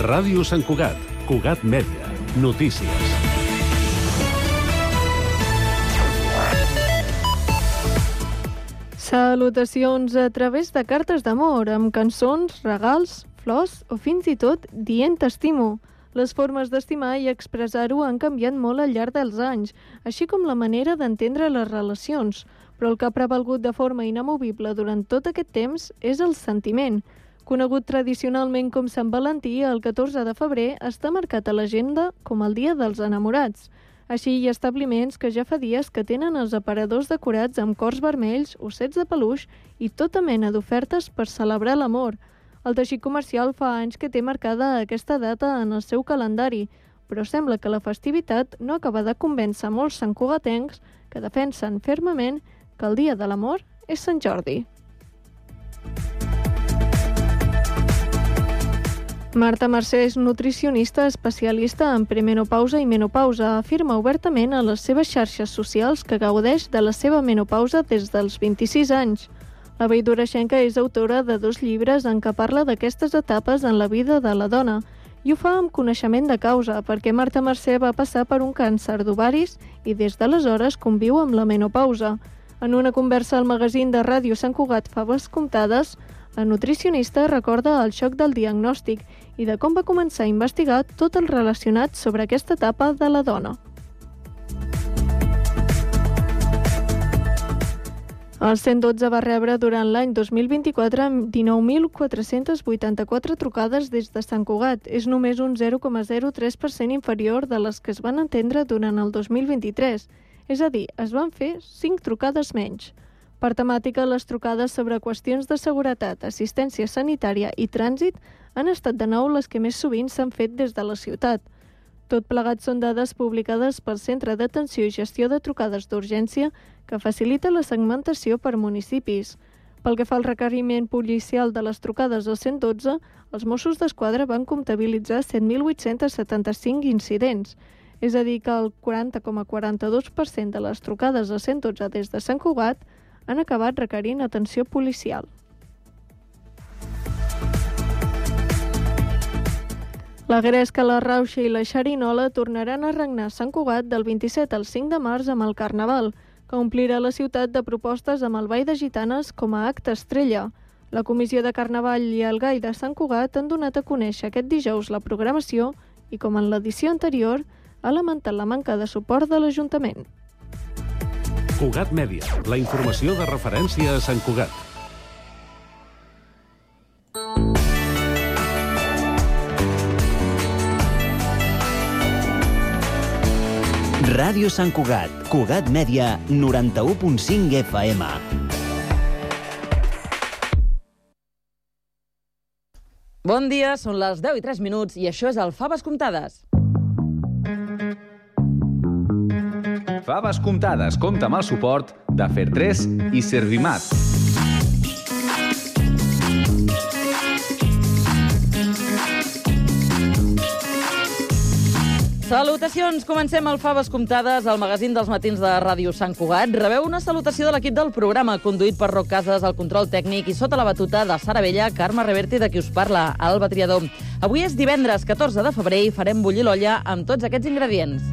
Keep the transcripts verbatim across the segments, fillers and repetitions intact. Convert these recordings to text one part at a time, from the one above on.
Ràdio Sant Cugat, Cugat Mèdia, notícies. Salutacions a través de cartes d'amor, amb cançons, regals, flors o fins i tot dient t'estimo. Les formes d'estimar i expressar-ho han canviat molt al llarg dels anys, així com la manera d'entendre les relacions, però el que ha prevalgut de forma inamovible durant tot aquest temps és el sentiment. Conegut tradicionalment com Sant Valentí, el catorze de febrer està marcat a l'agenda com el Dia dels Enamorats. Així hi ha establiments que ja fa dies que tenen els aparadors decorats amb cors vermells, ossets de peluix i tota mena d'ofertes per celebrar l'amor. El teixit comercial fa anys que té marcada aquesta data en el seu calendari, però sembla que la festivitat no acaba de convèncer molts santcugatencs que defensen fermament que el Dia de l'Amor és Sant Jordi. Marta Mercè és nutricionista especialista en premenopausa i menopausa. Afirma obertament a les seves xarxes socials que gaudeix de la seva menopausa des dels vint-i-sis anys. La veïdoreixenca és autora de dos llibres en què parla d'aquestes etapes en la vida de la dona i ho fa amb coneixement de causa perquè Marta Mercè va passar per un càncer d'ovaris i des d'aleshores conviu amb la menopausa. En una conversa al magazín de Ràdio Sant Cugat Faves Comptades, la nutricionista recorda el xoc del diagnòstic i de com va començar a investigar tot el relacionat sobre aquesta etapa de la dona. El cent dotze va rebre durant l'any dos mil vint-i-quatre dinou mil quatre-cents vuitanta-quatre trucades des de Sant Cugat. És només un zero coma zero tres per cent inferior de les que es van atendre durant el dos mil vint-i-tres. És a dir, es van fer cinc trucades menys. Per temàtica, les trucades sobre qüestions de seguretat, assistència sanitària i trànsit han estat de nou les que més sovint s'han fet des de la ciutat. Tot plegat són dades publicades pel Centre d'Atenció i Gestió de Trucades d'Urgència que facilita la segmentació per municipis. Pel que fa al requeriment policial de les trucades al cent dotze, els Mossos d'Esquadra van comptabilitzar set mil vuit-cents setanta-cinc incidents. És a dir, que el quaranta coma quaranta-dos per cent de les trucades al cent dotze des de Sant Cugat han acabat requerint atenció policial. La gresca, la rauxa i la xerinola tornaran a regnar a Sant Cugat del vint-i-set al cinc de març amb el Carnaval, que omplirà la ciutat de propostes amb el Ball de Gitanes com a acte estrella. La Comissió de Carnaval i el Gai de Sant Cugat han donat a conèixer aquest dijous la programació i, com en l'edició anterior, ha lamentat la manca de suport de l'Ajuntament. Cugat Mèdia, la informació de referència a Sant Cugat. Ràdio Sant Cugat, Cugat Mèdia, noranta-u punt cinc F M. Bon dia, són les deu i tres minuts i això és el Faves Comptades. Faves Comptades compta amb el suport de Fer tres i Servimat. Salutacions! Comencem el Faves Comptades, el magazín dels matins de Ràdio Sant Cugat. Rebeu una salutació de l'equip del programa, conduït per Roc Casas, el control tècnic, i sota la batuta de Sara Bella, Carme Reverte, de qui us parla, Alba Triador. Avui és divendres catorze de febrer i farem bullir l'olla amb tots aquests ingredients.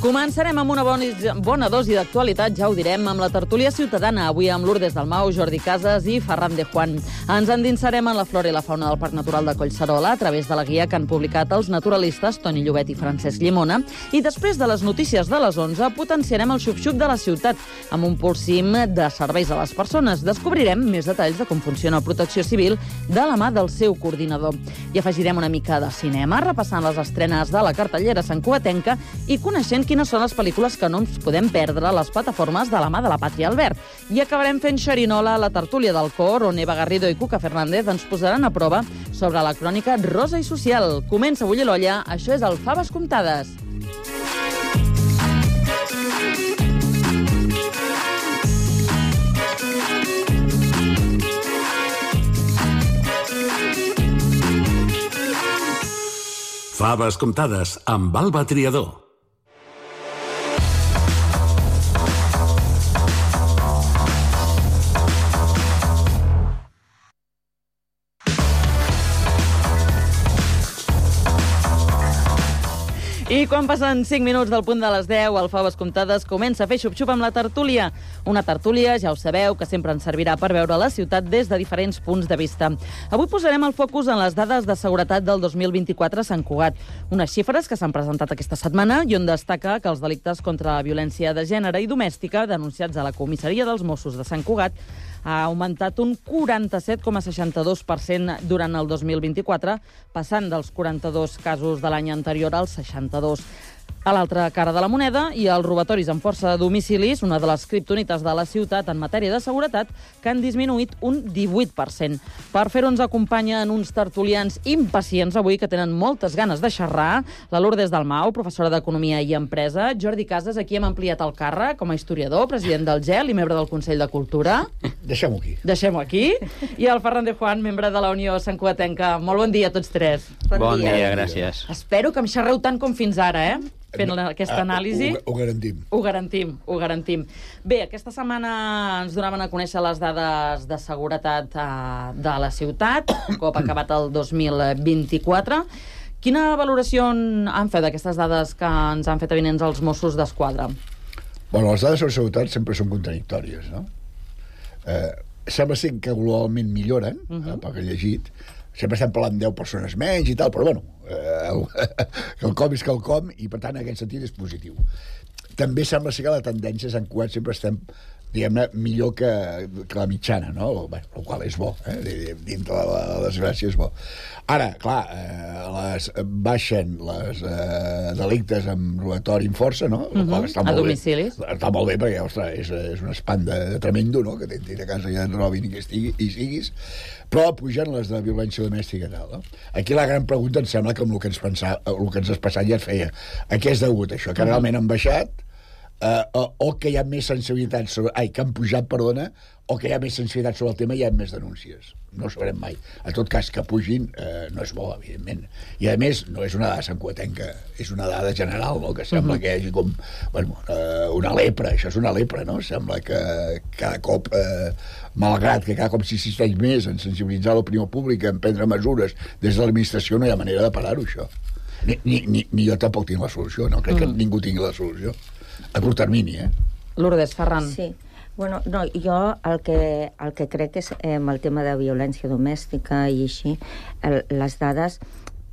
Començarem amb una bona, bona dosi d'actualitat, ja ho direm, amb la tertúlia ciutadana, avui amb Lourdes Dalmau, Jordi Casas i Ferran de Juan. Ens endinsarem en la flora i la fauna del Parc Natural de Collserola a través de la guia que han publicat els naturalistes Toni Llobet i Francesc Llimona, i després de les notícies de les onze potenciarem el xup-xup de la ciutat amb un pulsim de serveis a les persones. Descobrirem més detalls de com funciona Protecció Civil de la mà del seu coordinador. I afegirem una mica de cinema, repassant les estrenes de la cartellera santcugatenca i coneixent quines són les pel·lícules que no ens podem perdre a les plataformes de la mà de la Pàtria Albert. I acabarem fent xerinola a la tertúlia del cor, on Eva Garrido i Cuca Fernández ens posaran a prova sobre la crònica rosa i social. Comença a bullir l'olla, això és el Faves Comptades. Faves comptades amb Alba Triador. I quan passen cinc minuts del punt de les deu, el Faves Comptades comença a fer xup-xup amb la tertúlia. Una tertúlia, ja ho sabeu, que sempre ens servirà per veure la ciutat des de diferents punts de vista. Avui posarem el focus en les dades de seguretat del dos mil vint-i-quatre a Sant Cugat. Unes xifres que s'han presentat aquesta setmana i on destaca que els delictes contra la violència de gènere i domèstica denunciats a la comissaria dels Mossos de Sant Cugat ha augmentat un quaranta-set coma seixanta-dos per cent durant el dos mil vint-i-quatre, passant dels quaranta-dos casos de l'any anterior als seixanta-dos. A l'altra cara de la moneda hi ha els robatoris amb força de domicilis, una de les criptonites de la ciutat en matèria de seguretat, que han disminuït un divuit per cent. Per fer-ho ens acompanyen uns tertulians impacients avui que tenen moltes ganes de xerrar. La Lourdes Dalmau, professora d'Economia i Empresa. Jordi Casas, aquí hem ampliat el càrrec com a historiador, president del G E L i membre del Consell de Cultura. Deixem-ho aquí. Deixem-ho aquí. I el Ferran de Juan, membre de la Unió Santcugatenca. Molt bon dia a tots tres. Bon, bon dia. dia, gràcies. Espero que em xerreu tant com fins ara, eh? Fent aquesta anàlisi. Ho, ho garantim. Ho garantim, ho garantim. Bé, aquesta setmana ens donaven a conèixer les dades de seguretat uh, de la ciutat, un cop acabat el dos mil vint-i-quatre. Quina valoració han fet d'aquestes dades que ens han fet avinents els Mossos d'Esquadra? Bueno, les dades sobre seguretat sempre són contradictòries, no? Eh, sembla ser que globalment milloren, uh -huh. eh, pel que he llegit. Sempre estem parlant de deu persones menys i tal, però bueno, eh, el, el com és quelcom i per tant en aquest sentit és positiu. També sembla ser que la tendència a Sant Cugat sempre estem, diguem-ne, millor que, que la mitjana, no? Bé, el qual és bo, eh? Dintre de la, la desgràcia és bo. Ara, clar, eh, les, baixen les eh, delictes amb robatori amb força, no? Uh -huh. Està molt a domicilis. Bé. Està molt bé perquè, ostres, és, és un espant de, de tremendo, no? Que t'entri a casa i et robin i que estigui, i siguis. Però pugen les de violència domèstica i tal, no? Aquí la gran pregunta em sembla que amb el que ens, pensava, el que ens has passat ja et feia. A què és degut això? Que realment han baixat Uh, o, o que hi ha més sensibilitat sobre... Ai, que han pujat, perdona, o que hi ha més sensibilitat sobre el tema i hi ha més denúncies. No ho sabrem mai. En tot cas, que pugin uh, no és bo, evidentment. I, a més, no és una dada santcugatenca, és una dada general, no? Que sembla uh-huh. que hi hagi com... Bueno, uh, una lepra, això és una lepra, no? Sembla que cada cop, uh, malgrat que cada cop s'insisteix més en sensibilitzar l'opinió pública, en prendre mesures des de l'administració, no hi ha manera de parar-ho, això. Ni, ni, ni, ni jo tampoc tinc la solució, no? Crec uh-huh. que ningú tingui la solució. A curt termini, eh? Lourdes, Ferran. Sí. Bueno, no, jo el que, el que crec és eh, amb el tema de violència domèstica i així, el, les dades,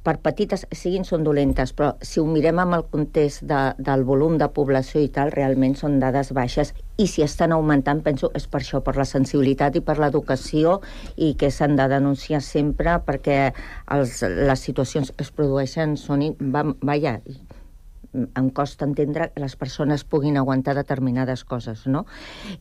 per petites siguin, són dolentes, però si ho mirem amb el context de, del volum de població i tal, realment són dades baixes i si estan augmentant, penso, és per això, per la sensibilitat i per l'educació i que s'han de denunciar sempre perquè els, les situacions que es produeixen són... Va, vaja, em costa entendre que les persones puguin aguantar determinades coses, no?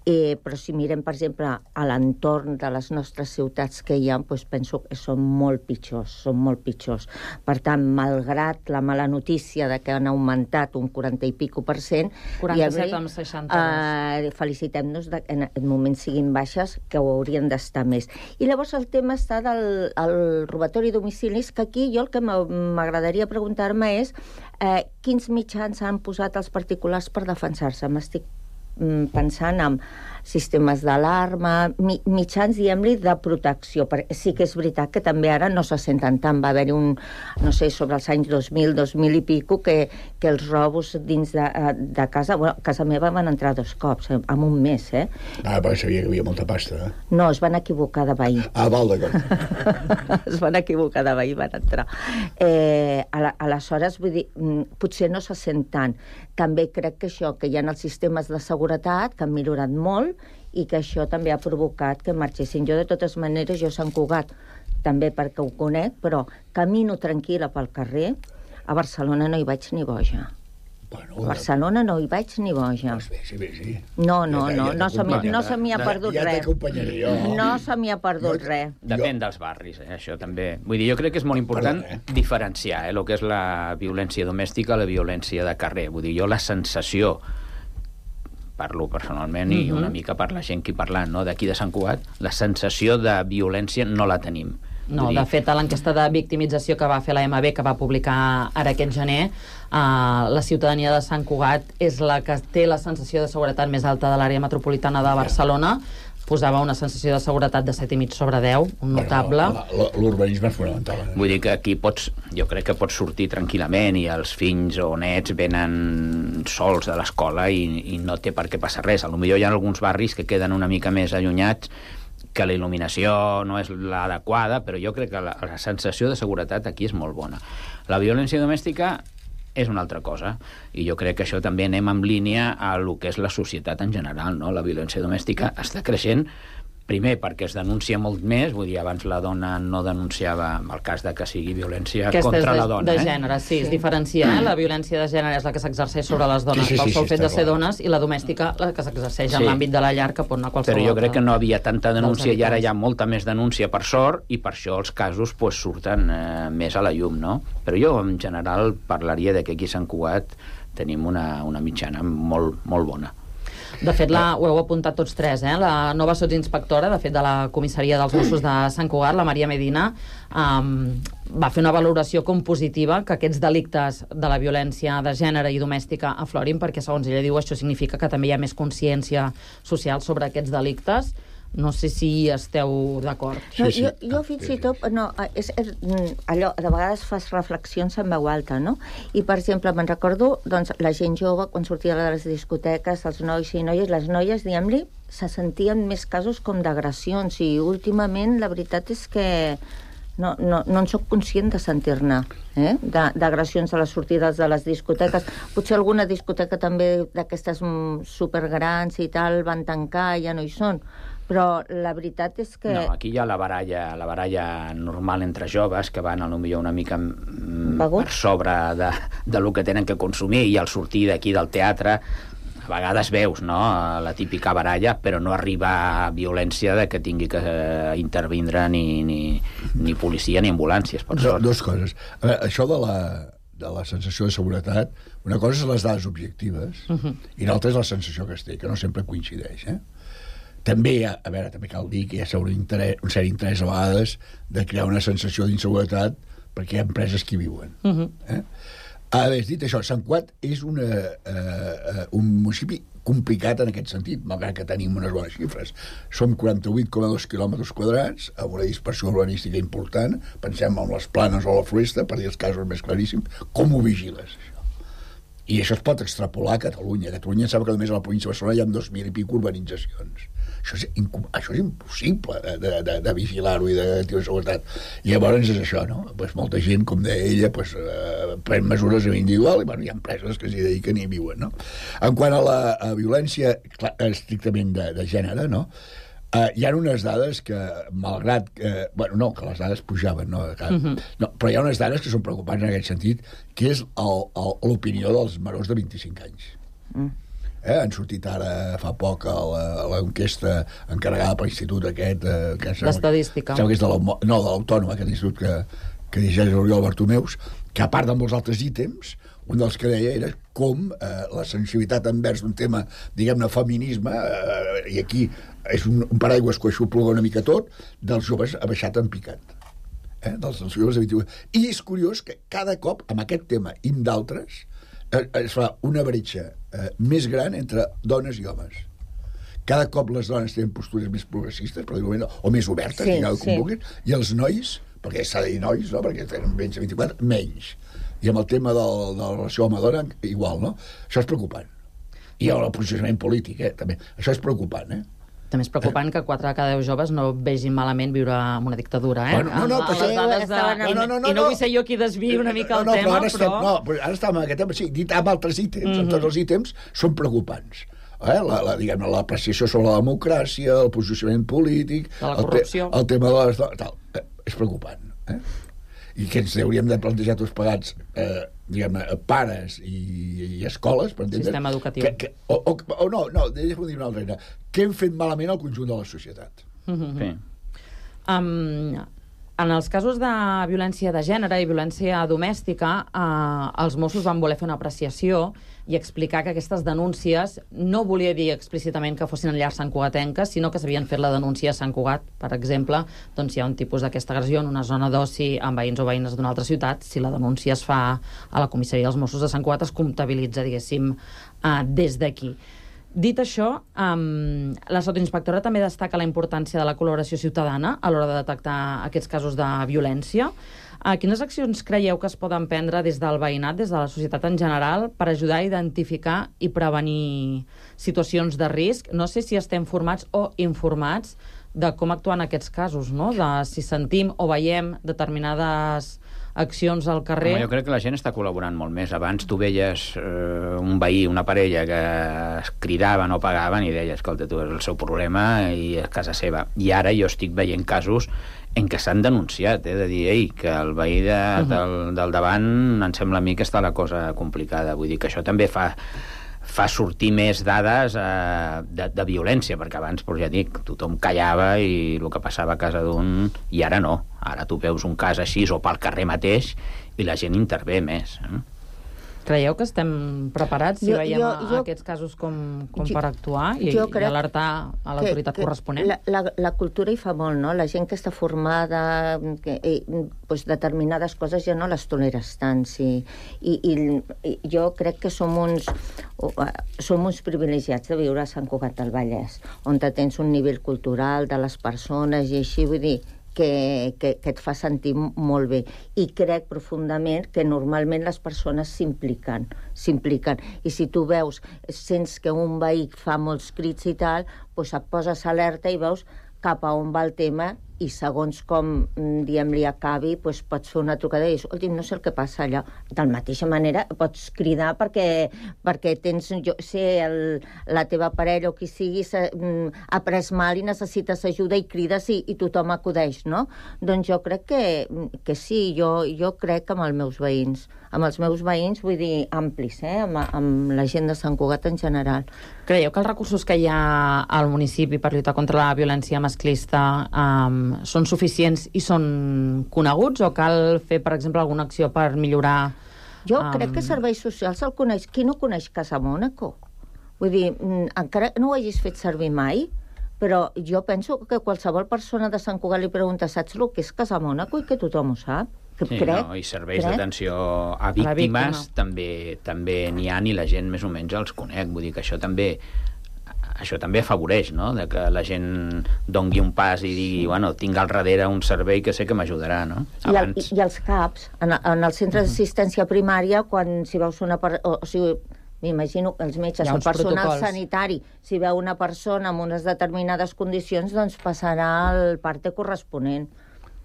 Eh, però si mirem, per exemple, a l'entorn de les nostres ciutats que hi ha, doncs penso que són molt pitjors, són molt pitjors. Per tant, malgrat la mala notícia de que han augmentat un quaranta i pico per cent... quaranta-set amb seixanta-dos. Eh, felicitem-nos que en aquest moment siguin baixes, que ho haurien d'estar més. I llavors el tema està del el robatori a domicilis, que aquí jo el que m'agradaria preguntar-me és eh, quins mitjans han posat els particulars per defensar-se. M'estic pensant en sistemes d'alarma, mi, mitjans, diguem-li, de protecció. Perquè sí que és veritat que també ara no se senten tant. Va haver-hi un, no sé, sobre els anys dos mil, dos mil i pico, que, que els robos dins de, de casa... Bueno, a casa meva van entrar dos cops, eh, en un mes, eh? Ah, però sabia que hi havia molta pasta, eh? No, es van equivocar de veí. Ah, val, d'acord. Es van equivocar de veí, van entrar. Eh, aleshores, vull dir, potser no se sent tant. També crec que això, que hi ha els sistemes de seguretat, que han millorat molt, i que això també ha provocat que marxessin. Jo, de totes maneres, jo a Sant Cugat, també perquè ho conec, però camino tranquil·la pel carrer, a Barcelona no hi vaig ni boja. Bueno, a Barcelona no hi vaig ni boja. Doncs bé, sí, bé, sí. No, no, no, no se m'hi no se m'hi ha perdut ja res. Ja t'acompanyaré jo. No se m'hi ha perdut Jo- res. Depèn dels barris, eh, això també. Vull dir, jo crec que és molt important Perdona, eh? diferenciar eh, el que és la violència domèstica, la violència de carrer. Vull dir, jo la sensació, parlo personalment i una mica per la gent que hi parlant, no, d'aquí de Sant Cugat, la sensació de violència no la tenim. No, de fet, a l'enquesta de victimització que va fer la M B, que va publicar ara aquest gener, uh, la ciutadania de Sant Cugat és la que té la sensació de seguretat més alta de l'àrea metropolitana de Barcelona. Posava una sensació de seguretat de set i mig sobre deu, un notable. Bueno, l'urbanisme és fonamental. Eh? Vull dir que aquí pots, jo crec que pots sortir tranquil·lament i els fills o nets venen sols de l'escola i, i no té per què passar res. A lo millor hi ha alguns barris que queden una mica més allunyats, que la il·luminació no és l'adequada, però jo crec que la, la sensació de seguretat aquí és molt bona. La violència domèstica és una altra cosa, i jo crec que això també anem en línia a lo que és la societat en general, no? La violència domèstica està creixent, primer perquè es denuncia molt més, vull dir, abans la dona no denunciava el cas de que sigui violència Aquesta contra de, la dona. de eh? gènere, sí, es diferencia. Eh? La violència de gènere és la que s'exerceix sobre les dones Sí, sí, sí, pel sol sí, fet de ser clar. dones, i la domèstica la que s'exerceix en Sí. l'àmbit de la llar, que pot anar a qualsevol Però jo crec altra que no havia tanta denúncia dels i ara habitants. hi ha molta més denúncia, per sort, i per això els casos pues, surten eh, més a la llum, no? Però jo, en general, parlaria de que aquí a Sant Cugat tenim una, una mitjana molt, molt bona. De fet, la, ho heu apuntat tots tres, eh? La nova sotsinspectora, de fet, de la comissaria dels Mossos de Sant Cugat, la Maria Medina, um, va fer una valoració com positiva que aquests delictes de la violència de gènere i domèstica aflorin, perquè, segons ella diu, això significa que també hi ha més consciència social sobre aquests delictes. No sé si esteu d'acord. No, Sí, sí. jo, jo fins i tot, no, és, és, allò, de vegades fas reflexions en veu alta, no? I, per exemple, me'n recordo, doncs, la gent jove, quan sortia de les discoteques, els nois i noies, les noies, diguem-li, se sentien més casos com d'agressions, i últimament la veritat és que no, no, no en soc conscient de sentir-ne, eh? d'agressions a les sortides de les discoteques. Potser alguna discoteca també d'aquestes supergrans i tal van tancar, ja no hi són, però la veritat és que... No, aquí hi ha la baralla, la baralla normal entre joves que van a lo millor una mica mm, per sobre de, de lo que tenen que consumir, i al sortir d'aquí del teatre a vegades veus, no?, la típica baralla, però no arriba a violència de que tingui que eh, intervindre ni, ni, ni policia ni ambulàncies, per Do, sort. dos coses. A veure, això de la, de la sensació de seguretat, una cosa és les dades objectives, uh-huh. i l'altra és la sensació que es té, que no sempre coincideix, eh? També, a, a veure, també cal dir que hi ha un, interès, un cert interès a vegades de crear una sensació d'inseguretat perquè hi ha empreses que hi viuen. Uh-huh. eh? A veure, dit això, Sant Cugat és una, uh, uh, un municipi complicat en aquest sentit, malgrat que tenim unes bones xifres. Som quaranta-vuit coma dos quilòmetres quadrats, amb una dispersió urbanística important, pensem en les planes o la floresta, per dir els casos més claríssims. Com ho vigiles, això? I això es pot extrapolar a Catalunya. A Catalunya sap que només a la província de Barcelona hi ha dos mil i pico urbanitzacions. Això és, això és impossible de, de, de, de vigilar-ho i de tenir seguretat. I llavors és això, no? Pues molta gent, com deia ella, pues, eh, pren mesures individual i bueno, hi ha empreses que s'hi dediquen i viuen, no? En quant a la a violència clar, estrictament de, de gènere, no? Uh, hi ha unes dades que, malgrat que... Bueno, no, que les dades pujaven, no? Que, uh-huh. no però hi ha unes dades que són preocupants en aquest sentit, que és l'opinió dels menors de vint-i-cinc anys. Mm. Eh? Han sortit ara fa poc l'enquesta encarregada per l'institut aquest... Eh, D'estadística. Sembla que és de no, de l'Autònoma, aquest institut que, que dirigeix l'Oriol Bartomeus, que a part de molts altres ítems, un dels que deia era com eh, la sensibilitat envers un tema, diguem-ne, feminisme, eh, i aquí és un, un paraigües que això ploga una mica tot, dels joves ha baixat en picat. Eh? Dels, dels joves de vint-i-vuit. I és curiós que cada cop, amb aquest tema i amb d'altres, eh, es fa una bretxa eh, més gran entre dones i homes. Cada cop les dones tenen postures més progressistes, per dir-ho, o més obertes, sí, digueu, sí. com vulguin, i els nois, perquè s'ha de dir nois, no? Perquè tenen menys de vint-i-quatre, menys. I amb el tema del, de la relació home-dona, igual, no? Això és preocupant. I el posicionament polític, eh, també. Això és preocupant, eh? També és preocupant que quatre de cada deu joves no vegin malament viure en una dictadura, eh? Bueno, no, no, amb, però amb les dades de... no, I, no, no, no, I no vull ser jo qui desviï una mica el no, no, tema, però... Ara estem, però... no, però ara estem en aquest tema, sí, dit amb altres ítems, mm-hmm. amb tots els ítems, són preocupants. Eh? La, la, diguem-ne, l'apreciació sobre la democràcia, el posicionament polític... De la corrupció. El, te, el tema de les... Tal, eh, és preocupant, eh? I que ens hauríem de plantejar tots pagats, eh, diguem-ne, pares i, i escoles, per entendre... Sistema educatiu. Que, que, o, o, o no, no, deixa'm dir una altra manera. Què hem fet malament al conjunt de la societat? Mm-hmm. Sí. Um, En els casos de violència de gènere i violència domèstica, eh, els Mossos van voler fer una apreciació i explicar que aquestes denúncies no volia dir explícitament que fossin en llars santcugatenques, sinó que s'havien fet la denúncia a Sant Cugat. Per exemple, doncs hi ha un tipus d'aquesta agressió en una zona d'oci amb veïns o veïnes d'una altra ciutat. Si la denúncia es fa a la comissaria dels Mossos de Sant Cugat, es comptabilitza, diguéssim, eh, des d'aquí. Dit això, um, la sotoinspectora també destaca la importància de la col·laboració ciutadana a l'hora de detectar aquests casos de violència. Uh, quines accions creieu que es poden prendre des del veïnat, des de la societat en general, per ajudar a identificar i prevenir situacions de risc? No sé si estem formats o informats de com actuar en aquests casos, no? De si sentim o veiem determinades accions al carrer. Home, jo crec que la gent està col·laborant molt més. Abans tu veies eh, un veí, una parella que es cridaven o pagaven i deies, escolta, tu és el seu problema i és casa seva. I ara jo estic veient casos en què s'han denunciat, eh, de dir, ei, que el veí de, uh-huh. del, del davant em sembla a mi que està la cosa complicada. Vull dir que això també fa fa sortir més dades eh, de, de violència, perquè abans, doncs ja dic, tothom callava i el que passava a casa d'un, i ara no. Ara tu veus un cas així o pel carrer mateix i la gent intervé més. Eh? Creieu que estem preparats si jo, veiem jo, jo, aquests casos com, com jo, per actuar i, i alertar a l'autoritat corresponent? La, la, la cultura hi fa molt, no? La gent que està formada, que, i, pues, determinades coses ja no les toleres tant, sí. I, i, i jo crec que som uns, som uns privilegiats de viure a Sant Cugat del Vallès, on tens un nivell cultural de les persones i així, vull dir, Que, que, que et fa sentir molt bé. I crec profundament que normalment les persones s'impliquen, s'impliquen. I si tu veus, sents que un veí fa molts crits i tal, doncs et poses alerta i veus cap a on va el tema i segons com, diguem-li, acabi, doncs pots fer una trucada i dir, escolti, no sé el que passa allà. De la mateixa manera pots cridar perquè, perquè tens, jo sé, el, la teva parella o qui sigui ha pres mal i necessites ajuda i crides i, i tothom acudeix, no? Doncs jo crec que, que sí, jo, jo crec que amb els meus veïns, amb els meus veïns, vull dir, amplis, eh? amb, amb la gent de Sant Cugat en general. Creieu que els recursos que hi ha al municipi per lluitar contra la violència masclista um, són suficients i són coneguts o cal fer, per exemple, alguna acció per millorar? Jo um... crec que serveis socials el coneix. Qui no coneix Casa Mònaco? Vull dir, encara no ho hagis fet servir mai, però jo penso que qualsevol persona de Sant Cugat li pregunta, saps el que és Casa Mònaco? I que tothom ho sap. Que sí, crec, no, i serveis crec. d'atenció a víctimes també també n'hi ha i la gent més o menys els conec. Vull dir que això també això també afavoreix, no?, de que la gent dongui un pas i digui, bueno, tinc al darrere un servei que sé que m'ajudarà, no? Abans... I, el, I els CAPs, en, en el centre d'assistència primària, quan si veus una... Per, o, o sigui, m'imagino que els metges, el personal protocols. sanitari, si veu una persona amb unes determinades condicions, doncs passarà al parte corresponent.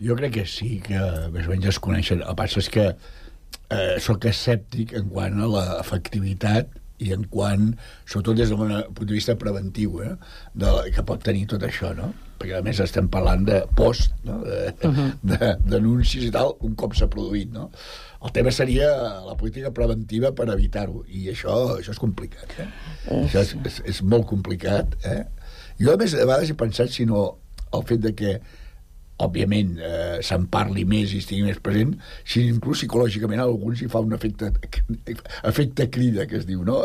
Jo crec que sí, que més o menys es coneixen. El que passa és que eh, soc escèptic en quant a l'efectivitat i en quant, sobretot des del punt de vista preventiu, eh, de, que pot tenir tot això, no? Perquè a més estem parlant de post, no? de, uh-huh. de, d'anuncis i tal, un cop s'ha produït, no? El tema seria la política preventiva per evitar-ho, i això, això és complicat, eh? Uh-huh. Això és, és, és molt complicat, eh? Jo, a més, a vegades he pensat, si no, el fet de que òbviament, eh, se'n parli més i estigui més present, si inclús psicològicament a alguns hi fa un efecte efecte crida, que es diu, no?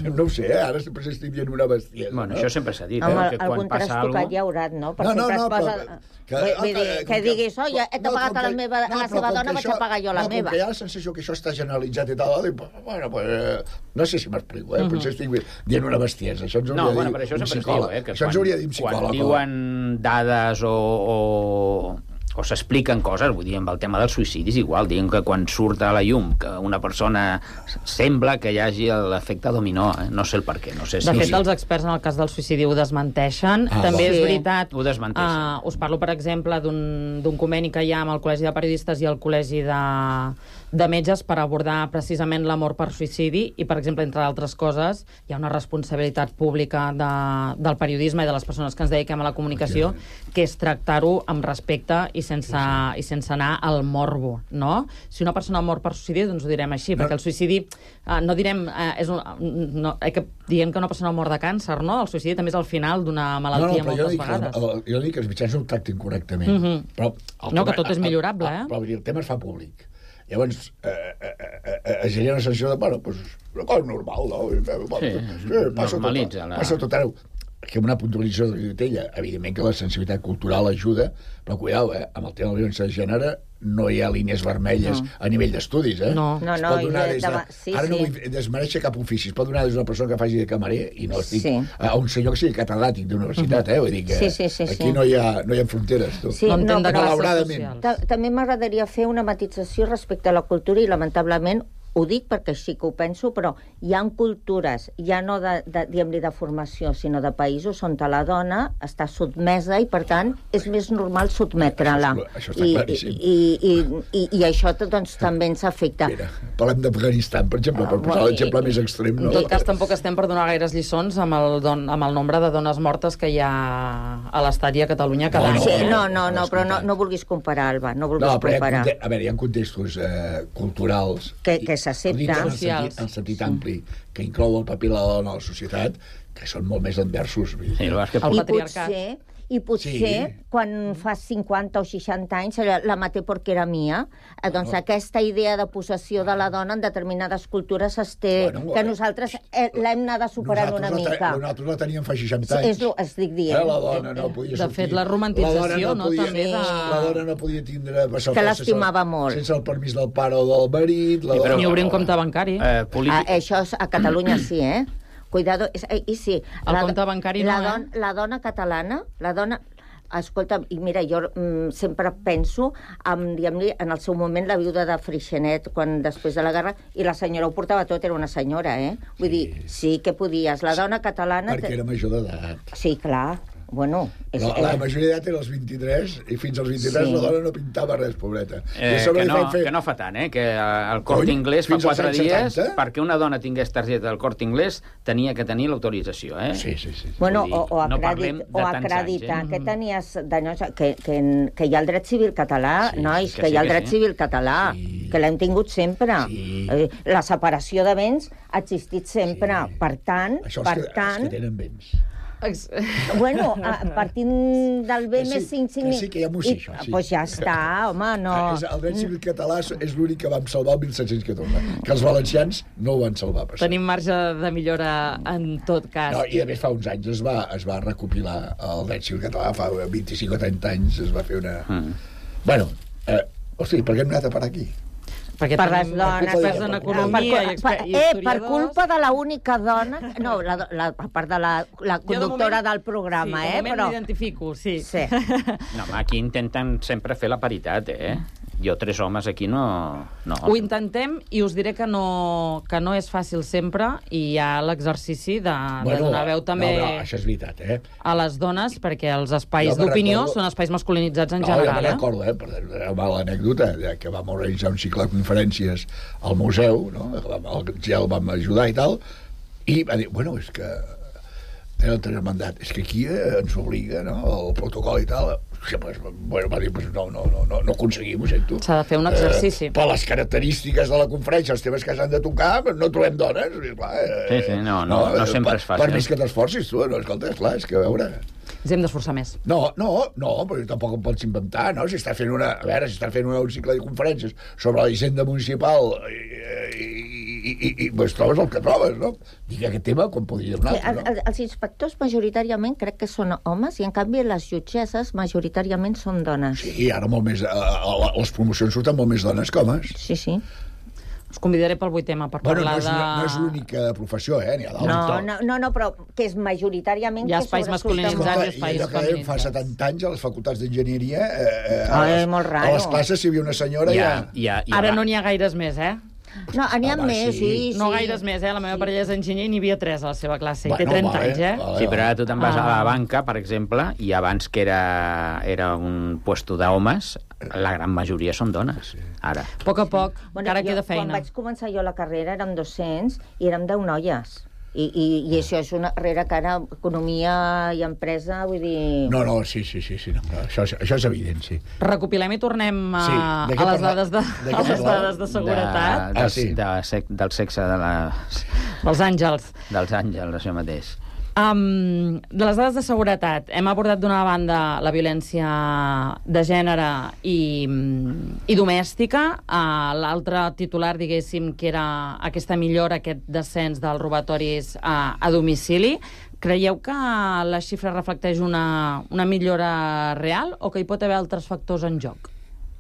No ho sé, eh? Ara sempre s'estic dient una bestiesa. Bueno, no? Això sempre s'ha dit, eh? Home, que quan passa alguna cosa... ja haurat, no? Per no, no, sempre no, es posa... però... Que, vull dir, que, que diguis, oh, ja he pagat no, a la, meva, no, a la seva dona, vaig a pagar jo la no, meva. No, com que hi ha la sensació que això està generalitzat i tal, dic, bueno, pues, no sé si m'explico, eh? Uh-huh. Potser estic dient una bestiesa. Això ens hauria no, de bueno, dir però això un sempre psicòleg. es diu, eh? Que això quan, ens hauria de dir un psicòleg. Quan diuen dades o... o... o s'expliquen coses, vull dir, amb el tema dels suïcidis igual, diguem que quan surt a la llum que una persona sembla que hi hagi l'efecte dominó, eh? No sé el per què, no sé si... De fet, els experts en el cas del suïcidi ho desmenteixen. Ah, també és veritat... Ho desmenteixen. Uh, us parlo, per exemple, d'un conveni que hi ha amb el Col·legi de Periodistes i el Col·legi de, de Metges per abordar precisament la mort per suïcidi i, per exemple, entre altres coses, hi ha una responsabilitat pública de, del periodisme i de les persones que ens dediquem a la comunicació, que és tractar-ho amb respecte i sense, sí, sí. i sense anar al morbo, no? Si una persona mor per suïcidi, doncs ho direm així, no. perquè el suïcidi, eh, no direm... Eh, és un, no, eh, que diem que una persona mor de càncer, no? El suïcidi també és el final d'una malaltia no, no, moltes vegades. Que, el, jo dic que els mitjans no ho tractin correctament. Mm -hmm. però no, tema, que tot és millorable, eh? Però el tema es fa públic. Llavors, eh, eh, eh, es genera una sensació de, bueno, pues, una cosa normal, no? Sí, eh, passa normalitza. Tot, la... passa tot arreu. Que una puntualització de ella, evidentment que la sensibilitat cultural ajuda, però cuidao, eh, amb el tema de la violència de gènere no hi ha línies vermelles no. a nivell d'estudis, eh? No, no, no. De, de, de, sí, ara sí. no vull desmereixer cap ofici, es pot donar des d'una persona que faci de camarer i no estic sí. a un senyor que sigui catedràtic d'universitat, eh? Vull dir que sí, sí, sí, aquí sí. no, hi ha, no hi ha fronteres, tu. Sí, no entenc no, de classes socials. També m'agradaria fer una matització respecte a la cultura i, lamentablement, ho dic perquè sí que ho penso, però hi ha cultures, ja no de, de, diguem-li de formació, sinó de països on la dona està sotmesa i, per tant, és més normal sotmetre-la. Això, això està I, claríssim. I, i, i, i això doncs, també ens afecta. Mira, parlem d'Afganistan, per exemple, per posar l'exemple més extrem. No? En tot cas, tampoc estem per donar gaires lliçons amb el, don, amb el nombre de dones mortes que hi ha a l'estadi a Catalunya cada any. No, sí, no, no, no, però no, no vulguis comparar, Alba, no vulguis no, comparar. Ha, a veure, hi ha contextos eh, culturals... Que, que s'accepta. En el sentit, en sentit ampli, que inclou el paper de la dona a la societat, que són molt més adversos. Sí, el que... I potser, i potser sí. quan fa cinquanta o seixanta anys la maté perquè era mia, eh, doncs no. aquesta idea de possessió de la dona en determinades cultures es té, bueno, que nosaltres eh, l'hem anat superant una la mica. Nosaltres la teníem fa seixanta anys. És el que estic dient. Eh, la dona no podia sortir. De fet, la romantització, la no, podia, no, també de... La dona no podia tindre... Que l'estimava molt. Sense el permís del pare o del marit. La dona... Ni obrir un compte bancari. Eh, polític... ah, això a Catalunya sí, eh? Cuidado, i sí. El la, compte bancari la no, don, eh? La dona catalana, la dona... Escolta, i mira, jo mm, sempre penso en, diguem-li, en el seu moment la viuda de Freixenet, quan després de la guerra, i la senyora ho portava tot, era una senyora, eh? Vull sí. dir, sí que podies. La dona catalana... Perquè era major d'edat. Sí, clar. Bueno, és, la, la majoria d'edat era els vint-i-tres i fins als vint-i-tres sí. la dona no pintava res, pobreta. Eh, que, no, fer... que no fa tant, eh? Que el Corte Inglés fa quatre dies, setanta? Perquè una dona tingués targeta del Corte Inglés tenia que tenir l'autorització, eh? Sí, sí, sí. Bueno, dir, o, o, no acredit, o acreditar anys, eh? que tenies... De, que, que, que hi ha el dret civil català, sí, nois, que, que sí, hi ha el dret sí. civil català, sí. que l'hem tingut sempre. Sí. Eh, la separació de béns ha existit sempre. Sí. Per tant... Això per els que, tant, els que tenen béns. Bueno, a, partint del B més cinc... Que sí, que hi ha músic, això. Doncs pues ja està, home, no... És, el dret civil català és l'únic que vam salvar el mil set-cents catorze, que els valencians no ho van salvar. Per Tenim marge de millora en tot cas. No, i a més fa uns anys es va, es va recopilar el dret civil català, fa vint-i-cinc o trenta anys es va fer una... Mm. Bueno, eh, hosti, per què hem anat a parar aquí? Perquè per les dones, experts en economia i, per, i eh, per culpa de l'única dona, no, la, la, a part de la, la conductora de moment, del programa, sí, eh, però... però... m'identifico, sí. sí. No, home, aquí intenten sempre fer la paritat, eh? Jo, tres homes aquí no... no. Ho intentem i us diré que no, que no és fàcil sempre i hi ha l'exercici de, bueno, de donar veu també no, no, això és veritat, eh? a les dones, perquè els espais d'opinió recordo... són espais masculinitzats en no, general. Jo me'n recordo, eh? Per una l'anècdota, que vam organitzar un cicle de conferències al museu, no? Ja el vam ajudar i tal, i va dir, bueno, és que era el tercer mandat, és que aquí eh, ens obliga, no?, el protocol i tal. Sí, pues, bueno, va dir, pues no, no, no, no, no aconseguim, ho sento. S'ha de fer un exercici. Eh, per les característiques de la conferència, els temes que s'han de tocar, no trobem dones. I, clar, eh, sí, sí, no, no, no, no sempre per, és fàcil. Per més que t'esforcis, tu, no, escolta, esclar, és que a veure... Ens hem d'esforçar més. No, no, no, però tampoc em pots inventar, no? Si està fent una... A veure, si està fent una, un cicle de conferències sobre la hisenda municipal i, i, i, i, i pues, trobes el que trobes, no? Dic aquest tema com podria donar, sí, no? El, els inspectors majoritàriament crec que són homes i en canvi les jutgesses majoritàriament són dones. Sí, ara molt més... A, a, a les promocions surten molt més dones que homes. Sí, sí. Us convidaré pel vuit tema per bueno, parlar no és, de... No és l'única professió, eh? N'hi ha d'altres. No, no, no, no, però que és majoritàriament... Hi ha espais masculinitzats i espais feminitzats. Fa setanta anys a les facultats d'enginyeria... Eh, a, les, oh, molt raro. A les classes si hi havia una senyora... Ja, ja... ja, ja Ara va. no n'hi ha gaires més, eh? No, n'hi ha ah, més, sí. sí. No gaires més, eh? La meva sí. parella és enginyer i n'hi havia tres a la seva classe. Bueno, I té trenta vale, anys, eh? Vale, sí, però ara tu te'n vas ah. a la banca, per exemple, i abans que era, era un puesto d'homes, la gran majoria són dones, ara. A poc a poc, bueno, encara jo, queda feina. Quan vaig començar jo la carrera érem dos-cents i érem deu noies. I, i, i això és una carrera que ara economia i empresa, vull dir... No, no, sí, sí, sí, sí no, això, això és evident, sí. Recopilem i tornem a, Sí, de què a les parla- dades de, de què a les parlàvem? dades de seguretat. De, Ah, del, sí. de, sec, del sexe de les, Els àngels. dels àngels, això mateix. Um, de les dades de seguretat, hem abordat d'una banda la violència de gènere i, i domèstica, uh, l'altre titular, diguéssim, que era aquesta millora, aquest descens dels robatoris uh, a domicili. Creieu que la xifra reflecteix una, una millora real o que hi pot haver altres factors en joc?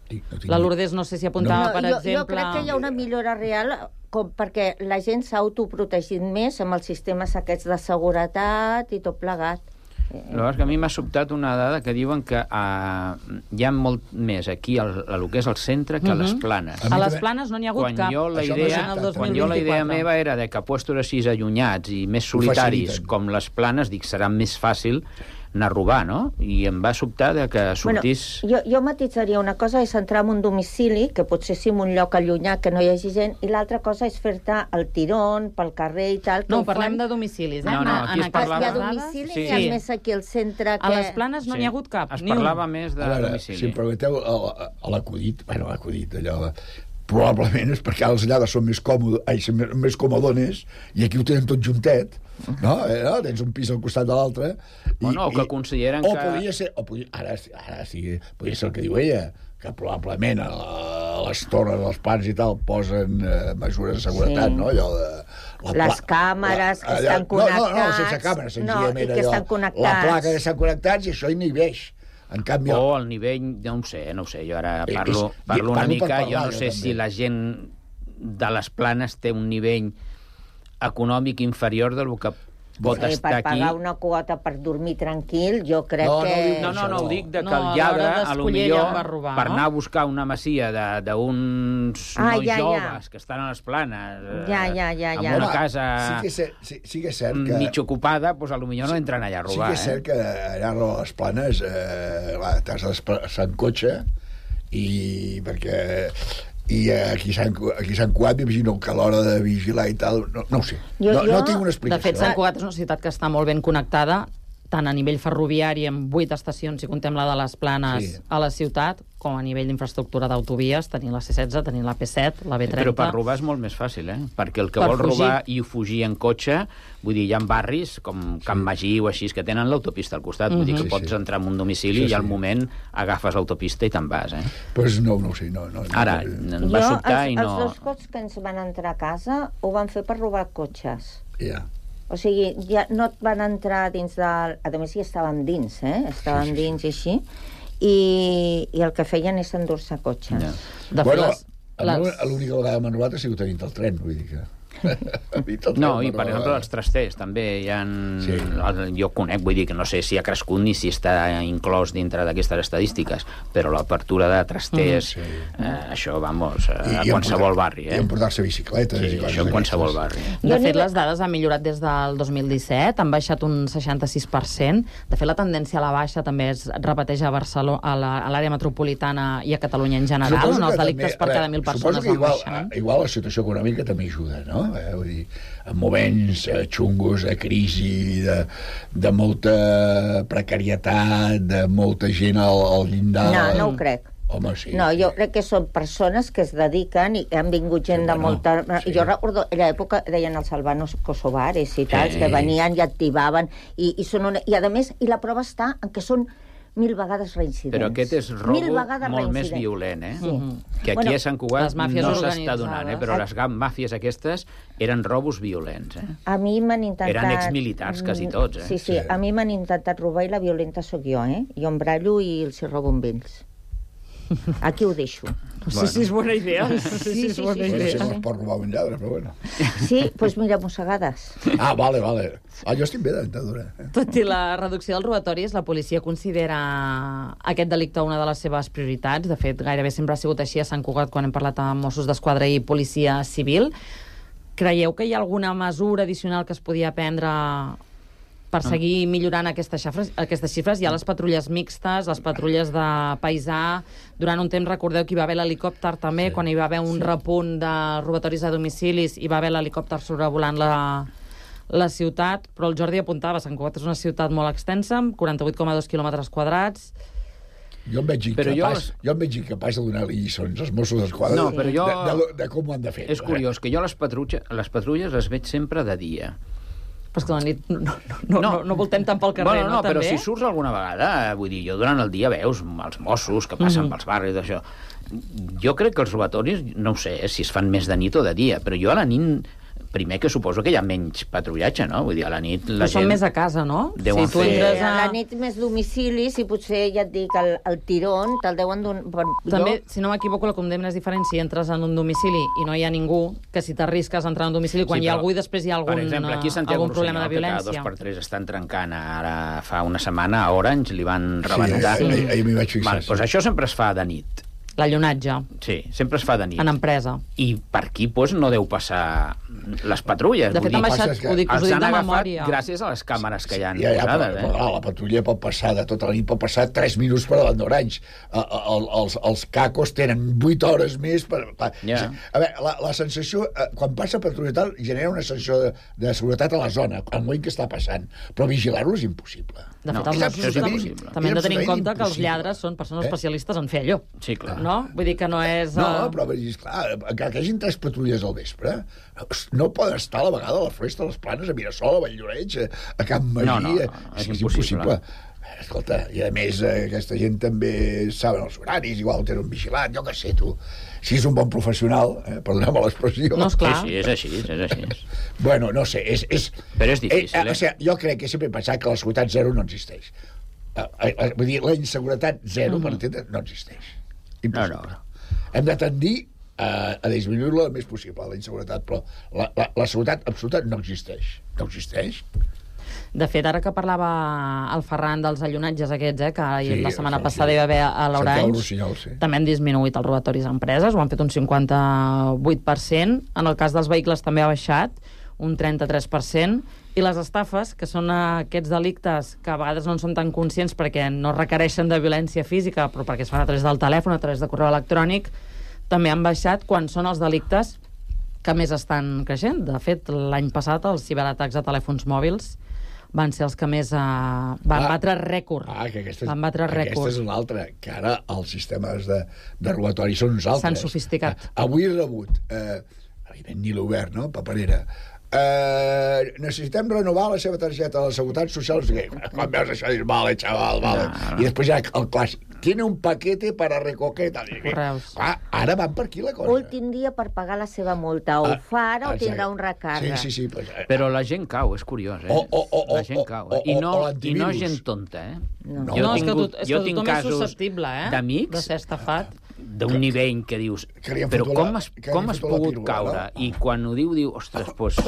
Sí, no tinc- La Lourdes no sé si apuntava, No, per jo, exemple... jo crec que hi ha una millora real com perquè la gent s'ha autoprotegit més amb els sistemes aquests de seguretat i tot plegat. Llavors, que a mi m'ha sobtat una dada que diuen que uh, hi ha molt més aquí al, a lo que és el centre que a les planes. A mi A les també- planes no n'hi ha hagut Quan cap. jo, la Això m'ha idea, sobtat, el dos quan mil jo la idea vint-i-quatre. meva era de que puestos així allunyats i més solitaris faciliten. com les planes, dic, serà més fàcil anar a robar, no? I em va sobtar de que sortís... Bueno, jo, jo matitzaria una cosa, és entrar en un domicili, que potser sí en un lloc allunyat, que no hi hagi gent, i l'altra cosa és fer-te el tirón pel carrer i tal. Que No, ho parlem fan... de domicilis, eh? No, no, En- aquí en es Ah, parlava- hi ha aquestes domicili, Sí. sí. Hi ha Sí. més aquí al centre que... A les planes no Sí. n'hi ha hagut cap, Es ni un. parlava més de A veure, domicili. si em permeteu, a, a l'acudit, bueno, l'acudit, allò... Probablement és perquè els allà són més còmodes, ai, són més, més comodones, i aquí ho tenen tot juntet, no? Eh, no? Tens un pis al costat de l'altre. i- Bueno, o que i- consideren o que- Podria ser, o podria, ara, ara sí, podria ser el que diu ella, que probablement a, a les torres, als plans i tal, posen eh, mesures de seguretat, Sí. no? Allò de... la Les pla- càmeres que allà- estan No, no, no, connectats. sense càmeres, No, senzillament i que allò, estan connectats. la placa que estan connectats i això inhibeix. En canvi... O el nivell, no ho sé, no ho sé, jo ara Eh, parlo, és- parlo una parlo per mica, parlar, jo no jo sé també. si la gent de les planes té un nivell econòmic inferior del que pot Sí, estar per aquí. pagar una quota per dormir tranquil, jo crec No, no que... diu- No, no, no, ho dic de que No, el a lladre, l'hora a lo d'escollir millor, ell va robar, per no? anar a buscar una masia de- d'uns Ah, nois ja, ja. joves que estan a les planes, eh, Ja, ja, ja, amb ja. una Home, casa sí que és cert, sí, sí que és cert que... mig ocupada, doncs a lo millor no entren allà a Sí robar. que és cert eh? que allà a les planes eh, clar, t'has de desplaçar en cotxe i perquè i aquí s'han aquí s'han Cugat m'imagino que a l'hora de vigilar i tal no, no ho sé, Jo- no, no jo- tinc una De explicació. fet, Sant Cugat és una ciutat que està molt ben connectada, tant a nivell ferroviari, amb vuit estacions, si contem la de les Planes, Sí. a la ciutat, com a nivell d'infraestructura d'autovies, tenint la C setze, tenint la P set, la B trenta... Però per robar és molt més fàcil, eh? Perquè el que Per vol fugir. robar i fugir en cotxe, vull dir, hi ha barris com Can Magí o així, que tenen l'autopista al costat. Vull dir que Sí, pots sí. entrar en un domicili Sí, i al sí. moment agafes l'autopista i te'n vas, eh? Pues no, no ho sé, no, no, no. Ara, no, em va Jo, sobtar els, i no... els dos cops que ens van entrar a casa ho van fer per robar cotxes. ja. O sigui, ja no et van entrar dins del... A més, ja estàvem dins, eh? Estàvem Sí, sí, sí. dins i així. I, I el que feien és endur-se cotxes. Ja. De fet, Bueno, les, a mi les... l'única vegada que m'han robat ha sigut a dintre el tren, vull dir que... A mi tot No, el i per tren m'han exemple robat. els trasters també hi ha... Sí. El, jo conec, vull dir que no sé si ha crescut ni si està inclòs dintre d'aquestes estadístiques, però l'apertura de trasters, Mm, sí. eh, això, vamos, eh, a I qualsevol emportar- barri, eh? I emportar-se bicicletes Sí, i coses això en qualsevol d'aquestes. barri. De Jo fet, n'hi- les dades han millorat des del dos mil disset, han baixat un seixanta-sis per cent. De fet, la tendència a la baixa també es repeteix a Barcelona, a la- a l'àrea metropolitana i a Catalunya en general, Suposo on els que delictes també- per a cada veure, mil suposo persones que van igual, baixant. igual la situació econòmica també ajuda, no? Eh, vull dir, en moments eh, xungos, de crisi, de, de molta precarietat, de molta gent al, al llindar... No, no ho crec. Home, sí. No, jo crec que són persones que es dediquen i han vingut gent Sí, de bueno, molta... sí. Jo recordo, en l'època deien els albanos kosovares i tals, Sí. que venien i activaven, i, i, són una... i a més, i la prova està en que són mil vegades reincidents. Però aquest és robo Mil vegades molt més reincidents. violent, eh? Sí. Que aquí Bueno, a Sant Cugat les màfies no s'està organitzades. donant, eh? Però les gam- màfies aquestes eren robos violents, eh? A mi m'han intentat... Eren exmilitars, quasi tots, eh? Sí, sí, Sí. a mi m'han intentat robar i la violenta sóc jo, eh? Jo em brallo i els hi robo amb ells. Aquí ho deixo. No sé si és bona idea. No sé si Sí, és sí, bona sí, Bueno, idea. si no es pot robar un lladre, però bueno. Sí, doncs pues mira, mossegades. Ah, vale, vale. Ah, jo estic bé de dentadura. Eh? Tot i la reducció dels robatoris, la policia considera aquest delicte una de les seves prioritats. De fet, gairebé sempre ha sigut així a Sant Cugat quan hem parlat amb Mossos d'Esquadra i Policia Civil. Creieu que hi ha alguna mesura addicional que es podia prendre per seguir millorant aquestes xifres? Aquestes xifres? Hi ha les patrulles mixtes, les patrulles de paisà. Durant un temps, recordeu que hi va haver l'helicòpter també, Sí. quan hi va haver un repunt de robatoris a domicilis, hi va haver l'helicòpter sobrevolant la, la ciutat, però el Jordi apuntava, Sant Cugat és una ciutat molt extensa, amb quaranta-vuit coma dos quilòmetres quadrats. Jo em veig incapaç, jo em veig incapaç de donar-li lliçons als Mossos d'Esquadra no, però jo... de, de, de com ho han de fer. És curiós, que jo les patrulles, les patrulles les veig sempre de dia. Però és que a la nit no, no, no, no, no voltem tant pel carrer, bueno, no, no? Però també? si surts alguna vegada, vull dir, jo durant el dia veus els Mossos que passen mm-hmm. pels barris, d'això. Jo crec que els robatoris, no ho sé eh, si es fan més de nit o de dia, però jo a la nit... Primer que suposo que hi ha menys patrullatge, no? Vull dir, a la nit la però gent... són més a casa, no? Si tu entres a... a la nit més domicilis i potser, ja et dic, el, el tirón te'l deuen d'un... També, jo... si no m'equivoco, la condemna és diferent si entres en un domicili i no hi ha ningú, que si t'arrisques a entrar en un domicili quan sí, però, hi ha algú i després hi ha algun, per exemple, aquí algun problema de violència. Que cada dos per tres estan trencant. Ara fa una setmana a Orange li van rebentar. Sí, ahir, ahir m'hi vaig fixar. Val, doncs això sempre es fa de nit. L'allonatge. Sí, sempre es fa de nit. En empresa. I per aquí doncs, no deu passar les patrulles. De fet, han baixat, ho dic, us ho dic de memòria. Gràcies a les càmeres que hi ha ja, ja, posades. Però, però, eh? la patrulla pot passar de tota la nit, pot passar tres minuts per davant d'Orange. Els, els cacos tenen vuit hores més per... per yeah. A veure, la, la sensació, quan passa patrulla tal, genera una sensació de, de seguretat a la zona, al moment que està passant. Però vigilar-ho és impossible. De fet, no, els Mossos és impossible. També hem de tenir en compte que els lladres són persones eh? especialistes en fer allò. Sí, clar. No? Vull dir que no és... No, però clar, encara que hi hagin tres patrulles al vespre, no poden estar a la vegada a la Floresta, a les Planes, a Mirasol, a Valldoreix, a Camp Magí... No, no, no, no és, és impossible. Escolta, i a més aquesta gent també saben els horaris, igual tenen un vigilat, jo què sé, tu. Si és un bon professional, eh, perdoneu-me l'expressió... No, esclar. Sí, sí, és així, és així. Bueno, no sé, és... és però és difícil, eh? eh? O sigui, jo crec que sempre he pensat que la seguretat zero no existeix. Eh, eh, vull dir, la inseguretat zero, mm-hmm. per entendre, no existeix. Impossible. No, no. Hem de tendir a, a disminuir-la el més possible, la inseguretat, però la, la, la seguretat absoluta no existeix. No existeix. De fet, ara que parlava el Ferran dels allonatges aquests, eh, que sí, la setmana sí, passada sí. hi va haver a l'Orange, sí. també han disminuït els robatoris a empreses, ho han fet un cinquanta-vuit per cent. En el cas dels vehicles també ha baixat un trenta-tres per cent. I les estafes, que són aquests delictes que a vegades no en són tan conscients perquè no requereixen de violència física, però perquè es fan a través del telèfon, a través de correu electrònic, també han baixat quan són els delictes que més estan creixent. De fet, l'any passat els ciberatacs a telèfons mòbils van ser els que més uh, van ah, batre rècord. Ah, que aquesta és, van batre rècord. Aquesta és una altra, que ara els sistemes de, de robatori són uns altres. S'han sofisticat. Ah, avui he rebut, eh, ni l'obert, no?, paperera, eh, necessitem renovar la seva targeta de la Seguretat Social. Quan veus això dius, vale, xaval, vale. No, no. I després ja el clàssic, tiene un paquete para recoger... Correus. Ah, ara van per aquí la cosa. Últim dia per pagar la seva multa. O ah, fa ara o exacte. tindrà un recàrrec. Sí, sí, sí. Pues, eh, però la gent cau, és curiós, eh? O, o, o, la gent cau. Eh? O, o, I, no, o I no gent tonta, eh? No, no, no és que, tot, és que tothom és susceptible, eh? D'amics de ser estafat. D'un nivell que dius, que però com la, has, com has pogut pírula, caure? No? I quan ho diu, diu, ostres, doncs pues,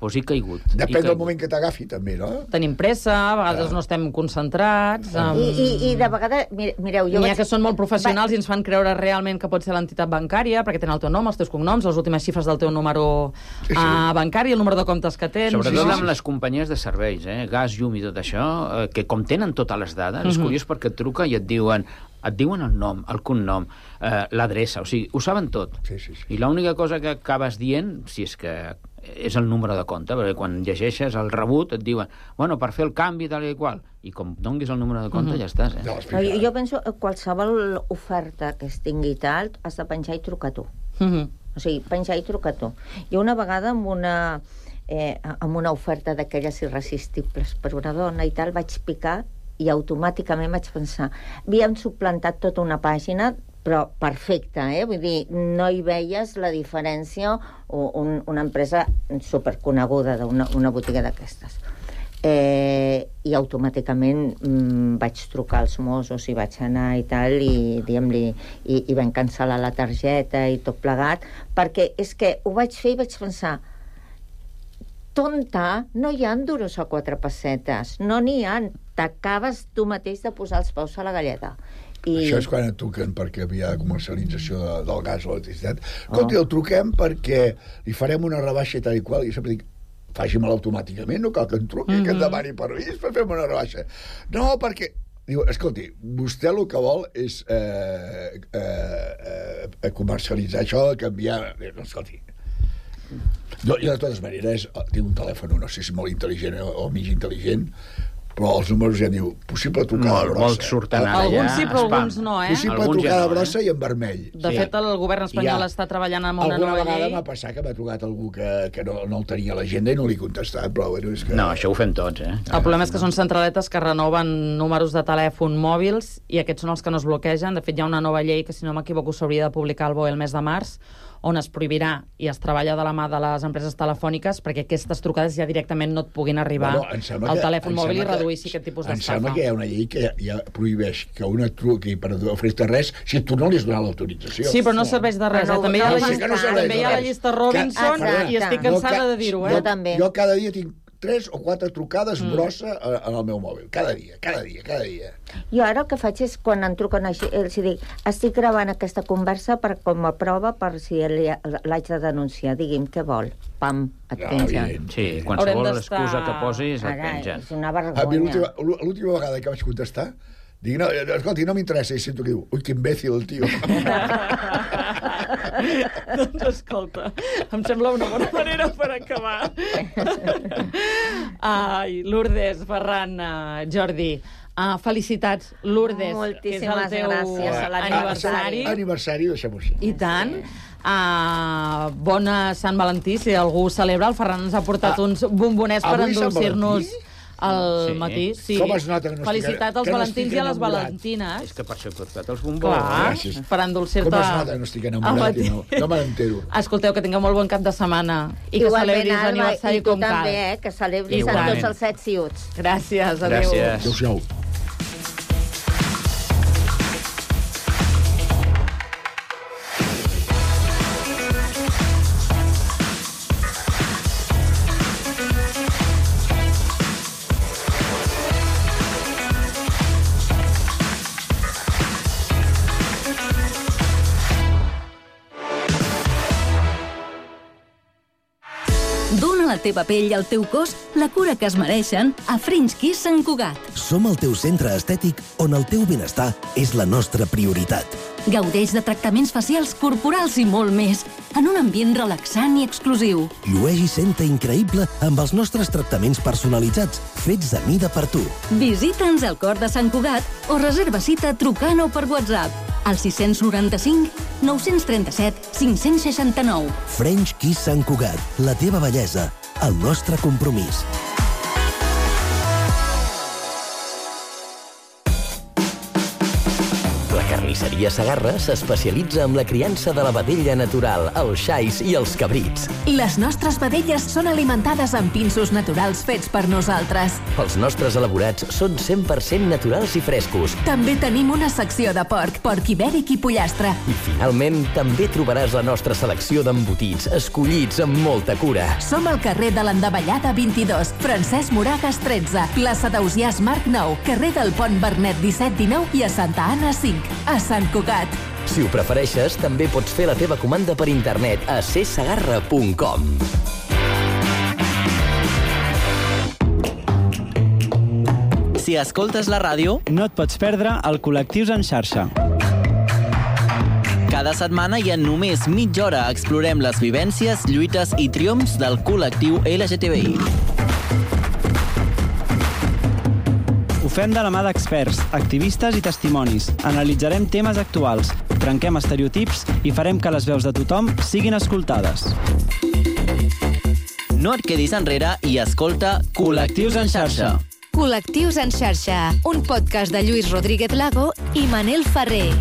pues he caigut. Depèn he del moment que t'agafi, també, no? Tenim pressa, a vegades ah. no estem concentrats... Um... I, i, I de vegades, mireu... Jo N'hi ha vaig... que són molt professionals Va... i ens fan creure realment que pot ser l'entitat bancària, perquè tenen el teu nom, els teus cognoms, les últimes xifres del teu número sí, sí. Uh, bancari, el número de comptes que tens... Sobretot sí, sí. amb les companyies de serveis, eh? gas, llum i tot això, eh, que com tenen totes les dades, mm-hmm. és curiós perquè et truca i et diuen... et diuen el nom, el cognom, eh, l'adreça, o sigui, ho saben tot. Sí, sí, sí. I l'única cosa que acabes dient, si és que és el número de compte, perquè quan llegeixes el rebut et diuen, bueno, per fer el canvi tal i qual, i com donguis el número de compte mm-hmm. ja estàs, eh? No, jo, jo penso que qualsevol oferta que es tingui tal, has de penjar i trucar tu. Mm-hmm. O sigui, penjar i trucar tu. Jo una vegada amb una, eh, amb una oferta d'aquelles irresistibles per una dona i tal, vaig picar i automàticament vaig pensar, havíem suplantat tota una pàgina, però perfecta, eh? Vull dir, no hi veies la diferència, o un, una empresa superconeguda d'una una botiga d'aquestes. Eh, I automàticament mm, vaig trucar als Mossos i vaig anar i tal, i diguem-li, i, i vam cancel·lar la targeta i tot plegat, perquè és que ho vaig fer i vaig pensar, tonta, no hi ha duros a quatre pessetes, no n'hi ha, t'acabes tu mateix de posar els peus a la galleda. I... Això és quan et truquen perquè hi ha comercialització de, del gas o l'electricitat. Escolti, oh. el truquem perquè li farem una rebaixa i tal i qual, i sempre dic, faci-me'l automàticament, no cal que em truqui, mm-hmm. que em demani permís per fer-me una rebaixa. No, perquè... Diu, escolti, vostè el que vol és eh, eh, eh, comercialitzar això, canviar... No, escolti, Jo, jo de totes maneres, tinc un telèfon, no sé si molt intel·ligent o, o mig intel·ligent, però els números ja diu possible trucada molt, brossa. Molt surten ara alguns ja. sí, però spam. alguns no, eh? Possible Alguns trucada ja no, brossa eh? i en vermell. De Sí. fet, el govern espanyol Ja. està treballant amb una Alguna nova vegada llei. m'ha passat que m'ha trucat algú que, que no, no el tenia a l'agenda i no li he contestat, però bueno, és que... No, això ho fem tots, eh? El problema és que són centraletes que renoven números de telèfon mòbils i aquests són els que no es bloquegen. De fet, hi ha una nova llei que, si no m'equivoco, s'hauria de publicar al B O E el mes de març, on es prohibirà i es treballa de la mà de les empreses telefòniques perquè aquestes trucades ja directament no et puguin arribar Bueno, em sembla al que- telèfon em mòbil i sembla que- reduir aquest tipus Em d'estafa. sembla que hi ha una llei que ja, ja prohibeix que una truqui per oferir-te res si tu no li has donat l'autorització. Sí, però no serveix de res. Però Eh? no- També hi ha no la va llista, estar. serveix també hi de ha la res. llista Robinson Exacte. i estic No, cansada ca- de dir-ho, eh? Jo també. Jo cada dia tinc tres o quatre trucades mm. brossa en el meu mòbil. Cada dia, cada dia, cada dia. Jo ara el que faig és, quan em truquen així, els dic, estic gravant aquesta conversa per, com a prova per si l'haig de denunciar. Digui'm, què vol? Pam, et No, pengen. evident. Sí, qualsevol Haurem d'estar- excusa que posis et Ara, pengen. és una A mi vergonya. l'última l'última vegada que vaig contestar dic, no, escolti, no m'interessa, i sento que diu, ui, que imbècil el tio. Doncs escolta, em sembla una bona manera per acabar. Ai, Lourdes, Ferran, uh, Jordi, uh, felicitats, Lourdes, que és el Moltíssimes teu gràcies a aniversari. Aniversari, deixem-ho així. I tant. Uh, bona Sant Valentí, si algú celebra. El Ferran ens ha portat Ah, uns bombonets per avui Sant endolcir-nos Valentí? al Sí. matí. Sí. Com es nota que no Felicitat estic- als que no valentins estic i a les enamorat? valentines. És que per això he portat els bombons. Clar, Gràcies. per endolcir-te Com es nota que no estic enamorat i no, no me n'entero. Escolteu, que tingueu molt bon cap de setmana i que Igualment, celebris Alba, l'aniversari i tu com cal. també, eh, que celebris amb Igualment. tots els set ciuts. Gràcies, adéu. Gràcies. Adéu-siau. Dóna a la teva pell i al teu cos la cura que es mereixen a French Kiss Sant Cugat. Som el teu centre estètic on el teu benestar és la nostra prioritat. Gaudeix de tractaments facials, corporals i molt més, en un ambient relaxant i exclusiu. Llueix i senta increïble amb els nostres tractaments personalitzats, fets a mida per tu. Visita'ns al cor de Sant Cugat o reserva cita trucant o per WhatsApp al sis noranta-cinc nou trenta-set cinc seixanta-nou. French Kiss Sant Cugat, la teva bellesa, el nostre compromís. La carnisseria Segarra s'especialitza en la criança de la vedella natural, els xais i els cabrits. Les nostres vedelles són alimentades amb pinsos naturals fets per nosaltres. Els nostres elaborats són cent per cent naturals i frescos. També tenim una secció de porc, porc ibèric i pollastre. I finalment, també trobaràs la nostra selecció d'embotits, escollits amb molta cura. Som al carrer de l'Endavellada vint-i-dos, Francesc Moragas tretze, plaça d'Ausiàs Marc nou, carrer del Pont Bernet disset dinou i a Santa Anna cinc, a Sant Cugat. Si ho prefereixes, també pots fer la teva comanda per internet a c segarra punt com. Si escoltes la ràdio, no et pots perdre el Col·lectius en xarxa. Cada setmana i en només mitja hora explorem les vivències, lluites i triomfs del col·lectiu L G T B I. Ho fem de la mà d'experts, activistes i testimonis. Analitzarem temes actuals, trenquem estereotips i farem que les veus de tothom siguin escoltades. No et quedis enrere i escolta Col·lectius en xarxa. Col·lectius en xarxa, un podcast de Lluís Rodríguez Lago i Manel Ferrer.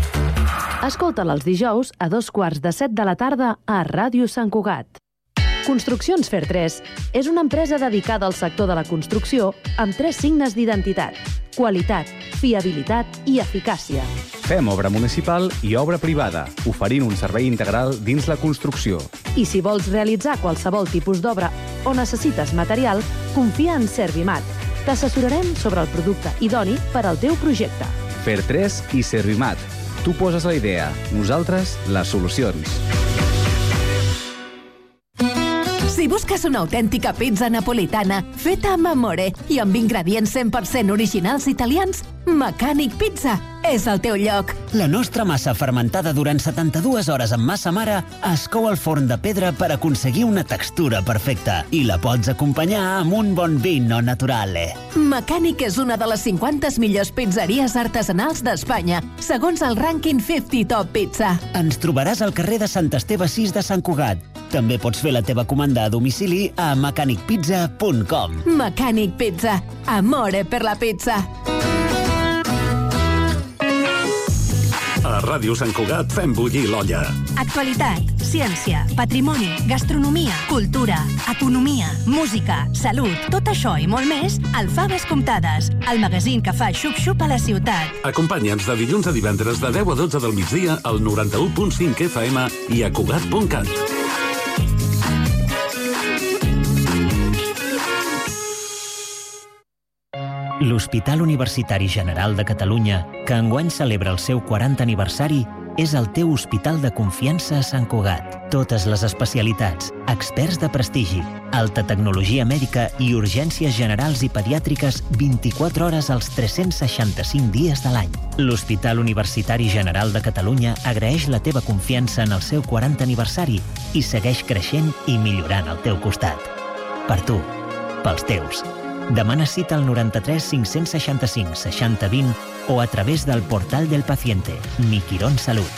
Escolta'l els dijous a dos quarts de set de la tarda a Ràdio Sant Cugat. Construccions Fer tres és una empresa dedicada al sector de la construcció amb tres signes d'identitat: qualitat, fiabilitat i eficàcia. Fem obra municipal i obra privada, oferint un servei integral dins la construcció. I si vols realitzar qualsevol tipus d'obra o necessites material, confia en Servimat. T'assessorarem sobre el producte idoni per al teu projecte. Fer tres i Servimat. Tu poses la idea, nosaltres les solucions. Si busques una autèntica pizza napolitana feta amb amore i amb ingredients cent per cent originals italians, Mecànic Pizza és el teu lloc. La nostra massa fermentada durant setanta-dues hores amb massa mare es cou al forn de pedra per aconseguir una textura perfecta i la pots acompanyar amb un bon vino naturale. Mecànic és una de les cinquanta millors pizzeries artesanals d'Espanya, segons el rànquing cinquanta Top Pizza. Ens trobaràs al carrer de Sant Esteve sis de Sant Cugat. També pots fer la teva comanda a domicili a mecànic pizza punt com. Mecànic Pizza. Amore per la pizza. A Ràdio Sant Cugat fem bullir l'olla. Actualitat, ciència, patrimoni, gastronomia, cultura, economia, música, salut, tot això i molt més al Faves Comptades, el magazín que fa xup-xup a la ciutat. Acompanya'ns de dilluns a divendres de deu a dotze del migdia al noranta-u punt cinc F M i a Cugat punt cat. L'Hospital Universitari General de Catalunya, que enguany celebra el seu quaranta aniversari, és el teu hospital de confiança a Sant Cugat. Totes les especialitats, experts de prestigi, alta tecnologia mèdica i urgències generals i pediàtriques vint-i-quatre hores als tres-cents seixanta-cinc dies de l'any. L'Hospital Universitari General de Catalunya agraeix la teva confiança en el seu quaranta aniversari i segueix creixent i millorant al teu costat. Per tu, pels teus. Demana cita al noranta-tres cinc-cents seixanta-cinc seixanta vint o a través del portal del paciente, Mi Quirón Salut.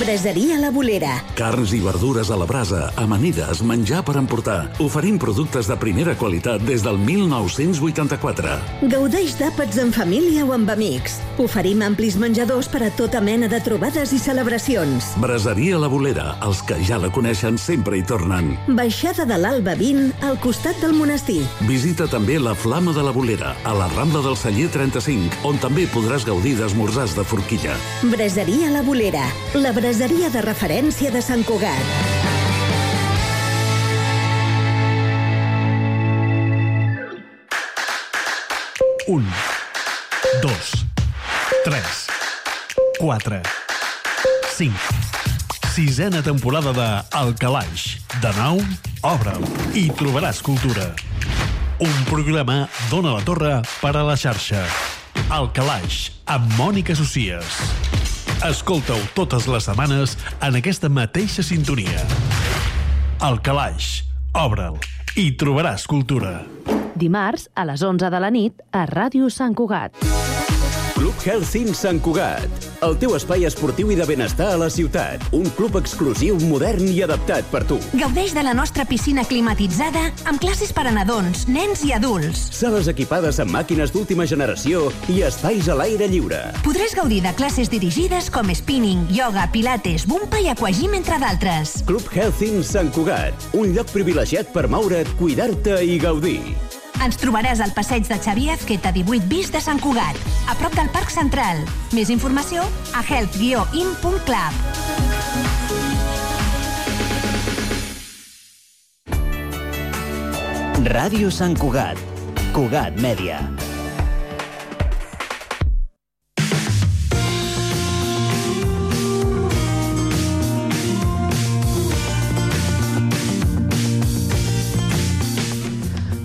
Braseria La Bolera. Carns i verdures a la brasa, amanides, menjar per emportar. Oferim productes de primera qualitat des del mil nou-cents vuitanta-quatre. Gaudeix d'àpats en família o amb amics. Oferim amplis menjadors per a tota mena de trobades i celebracions. Braseria La Bolera. Els que ja la coneixen sempre hi tornen. Baixada de l'Alba vint, al costat del monestir. Visita també la Flama de la Bolera, a la Rambla del Celler trenta-cinc, on també podràs gaudir d'esmorzars de forquilla. Braseria La Bolera. La braseria de referència de Sant Cugat. Un, dos, tres, quatre, cinc. Sisena temporada de El Calaix. De nou, obre'l i trobaràs cultura. Un programa d'Ona la Torre per a la xarxa. El Calaix, amb Mònica Socies. Escolta-ho totes les setmanes en aquesta mateixa sintonia. El Calaix, obre'l i trobaràs cultura. Dimarts, a les onze de la nit, a Ràdio Sant Cugat. Club Health Sant Cugat, el teu espai esportiu i de benestar a la ciutat. Un club exclusiu, modern i adaptat per tu. Gaudeix de la nostra piscina climatitzada amb classes per a nadons, nens i adults. Sales equipades amb màquines d'última generació i espais a l'aire lliure. Podràs gaudir de classes dirigides com spinning, yoga, pilates, bumpa i aquagym, entre d'altres. Club Health Sant Cugat, un lloc privilegiat per moure't, cuidar-te i gaudir. Ens trobaràs al passeig de Xavier Azqueta divuit bis de Sant Cugat, a prop del Parc Central. Més informació a health guió in punt club. Ràdio Sant Cugat. Cugat Mèdia.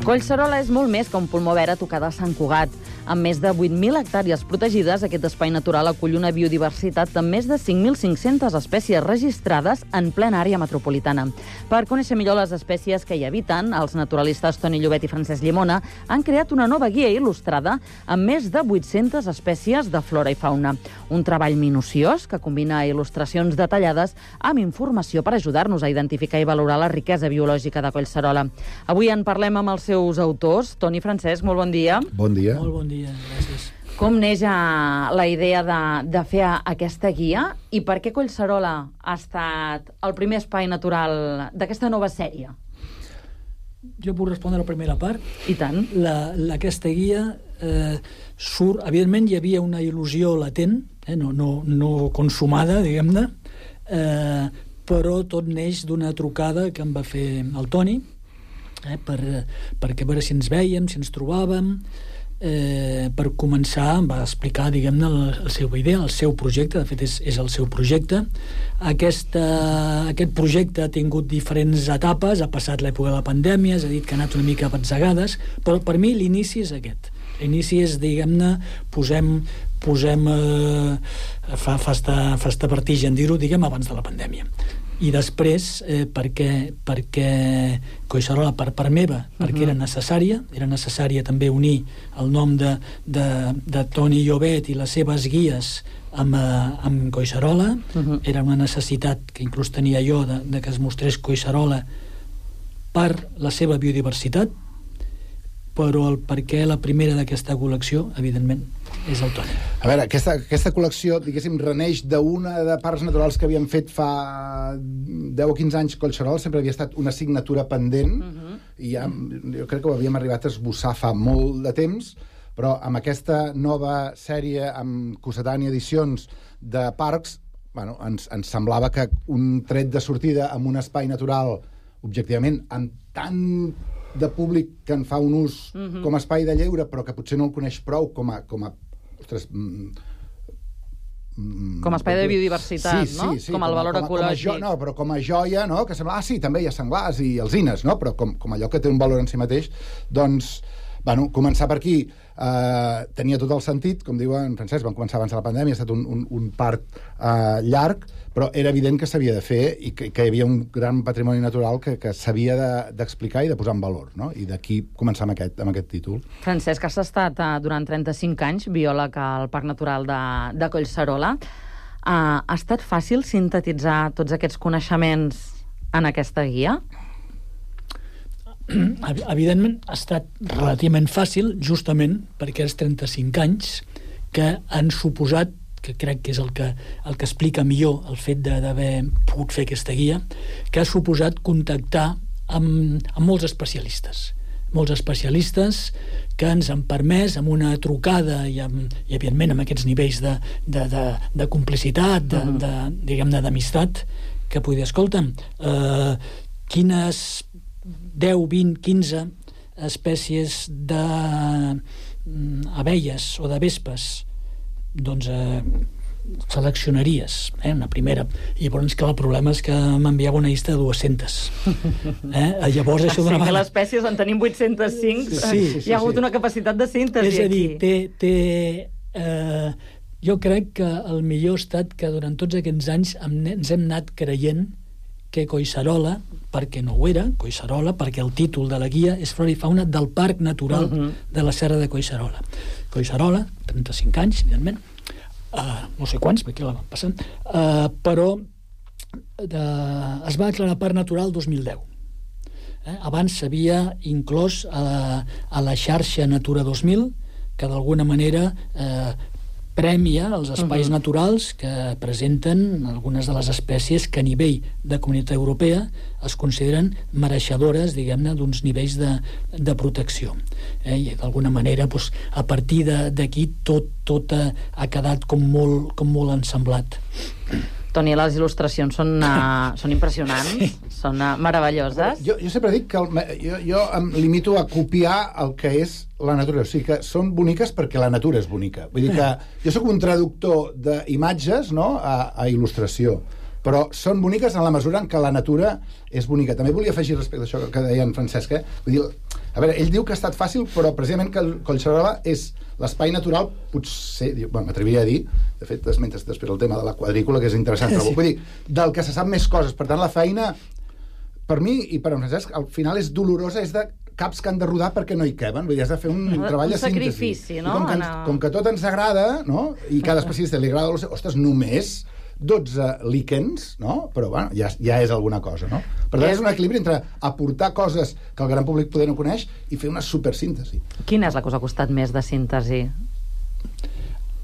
Collserola és molt més que un pulmó verd a tocar de Sant Cugat. Amb més de vuit mil hectàrees protegides, aquest espai natural acull una biodiversitat amb més de cinc mil cinc-centes espècies registrades en plena àrea metropolitana. Per conèixer millor les espècies que hi habiten, els naturalistes Toni Llobet i Francesc Llimona han creat una nova guia il·lustrada amb més de vuit-centes espècies de flora i fauna. Un treball minuciós que combina il·lustracions detallades amb informació per ajudar-nos a identificar i valorar la riquesa biològica de Collserola. Avui en parlem amb els seus autors. Toni i Francesc, molt bon dia. Bon dia. Molt bon dia, gràcies. Com neix la idea de, de fer aquesta guia i per què Collserola ha estat el primer espai natural d'aquesta nova sèrie? Jo puc respondre la primera part. I tant. La, la, aquesta guia eh, surt... Evidentment hi havia una il·lusió latent, eh, no, no, no consumada, diguem-ne, eh, però tot neix d'una trucada que em va fer el Toni, eh, per, perquè a veure si ens vèiem, si ens trobàvem. eh, per començar va explicar, diguem-ne, la seva idea, el seu projecte, de fet és, és el seu projecte. Aquesta, aquest projecte ha tingut diferents etapes, ha passat l'època de la pandèmia, s'ha dit que ha anat una mica a batzegades, però per mi l'inici és aquest. L'inici és, diguem-ne, posem, posem eh, fa, fa, estar, fa estar vertigen dir-ho, diguem, abans de la pandèmia. I després, eh, perquè, perquè Collserola, per part meva, perquè uh-huh. era necessària, era necessària també unir el nom de, de, de Toni Llobet i les seves guies amb, eh, amb Collserola. Uh-huh. Era una necessitat que inclús tenia jo de, de que es mostrés Collserola per la seva biodiversitat, però el perquè la primera d'aquesta col·lecció, evidentment, és el Toni. A veure, aquesta, aquesta col·lecció, diguéssim, reneix d'una de parcs naturals que havíem fet fa deu o quinze anys. Collserola sempre havia estat una assignatura pendent, uh-huh. i ja, jo crec que ho havíem arribat a esbossar fa molt de temps, però amb aquesta nova sèrie, amb Cossetània Edicions de parcs, bueno, ens, ens semblava que un tret de sortida amb un espai natural, objectivament, amb tant de públic que en fa un ús uh-huh. com a espai de lleure, però que potser no el coneix prou com a... Com a ostres, mm, com a espai de biodiversitat, sí, no? Sí, sí, com el valor com a, ecològic. Com a jo, no, però com a joia, no? Que sembla, ah, sí, també hi ha senglars i alzines, no? Però com, com allò que té un valor en si mateix, doncs, bueno, començar per aquí eh, tenia tot el sentit, com diu en Francesc, vam començar abans de la pandèmia, ha estat un, un, un part eh, llarg, però era evident que s'havia de fer i que, que hi havia un gran patrimoni natural que, que s'havia d'explicar de, i de posar en valor, no? I d'aquí començar amb aquest, amb aquest títol. Francesc, has estat uh, durant trenta-cinc anys biòleg al Parc Natural de, de Collserola. Uh, ha estat fàcil sintetitzar tots aquests coneixements en aquesta guia? Evidentment ha estat relativament fàcil, justament perquè els trenta-cinc anys que han suposat, que crec que és el que, el que explica millor el fet d'haver pogut fer aquesta guia, que ha suposat contactar amb, amb molts especialistes. Molts especialistes que ens han permès, amb una trucada i, amb, i evidentment, amb aquests nivells de, de, de, de complicitat, de, uh-huh. de, diguem-ne, d'amistat, que poder, escolta'm, eh, quines deu, vint, quinze espècies d'abelles o de vespes doncs eh, seleccionaries, eh, una primera. I llavors, clar, el problema és que m'enviava una llista de dues-centes. Eh? Llavors, això d'una vegada... que les espècies en tenim vuit-cents cinc, sí, sí, sí, hi ha hagut sí. una capacitat de síntesi aquí. És a dir, aquí. té... té eh, jo crec que el millor ha estat que durant tots aquests anys ens hem anat creient que Collserola, perquè no ho era, Collserola, perquè el títol de la guia és Flora i Fauna del Parc Natural uh-huh. de la Serra de Collserola. Collserola, trenta-cinc anys, evidentment, uh, no sé quants, perquè la van passant, uh, però de, es va declarar Parc Natural el dos mil deu. Eh? Abans s'havia inclòs a, a la xarxa Natura dos mil, que d'alguna manera eh, premia els espais uh-huh. naturals que presenten algunes de les espècies que a nivell de Comunitat Europea es consideren mereixedores, diguem-ne, d'uns nivells de, de protecció. Eh? I d'alguna manera, doncs, a partir d'aquí tot, tot ha, ha quedat com molt, com molt ensamblat. Toni, les il·lustracions són, uh, són impressionants, sí. són uh, meravelloses. Jo, jo sempre dic que el, jo, jo em limito a copiar el que és la natura, o sigui que són boniques perquè la natura és bonica. Vull dir que jo sóc un traductor d'imatges, no?, a, a il·lustració, però són boniques en la mesura en què la natura és bonica. També volia afegir respecte a això que deia en Francesc, eh? Vull dir, a veure, ell diu que ha estat fàcil, però precisament que Collserola és l'espai natural, potser, bueno, m'atreviria a dir, de fet, esmentes després el tema de la quadrícula, que és interessant, però vull dir, del que se sap més coses. Per tant, la feina, per mi i per en Francesc, al final és dolorosa, és de caps que han de rodar perquè no hi queben, vull dir, has de fer un, un treball de síntesi. Un sacrifici, no? I com que, ens, com que tot ens agrada, no?, i cada especialista li agrada, ostres, només dotze líquens, no? Però, bueno, ja, ja és alguna cosa, no? Per tant, és un equilibri entre aportar coses que el gran públic poder no coneix i fer una supersíntesi. Quina és la cosa que ha costat més de síntesi?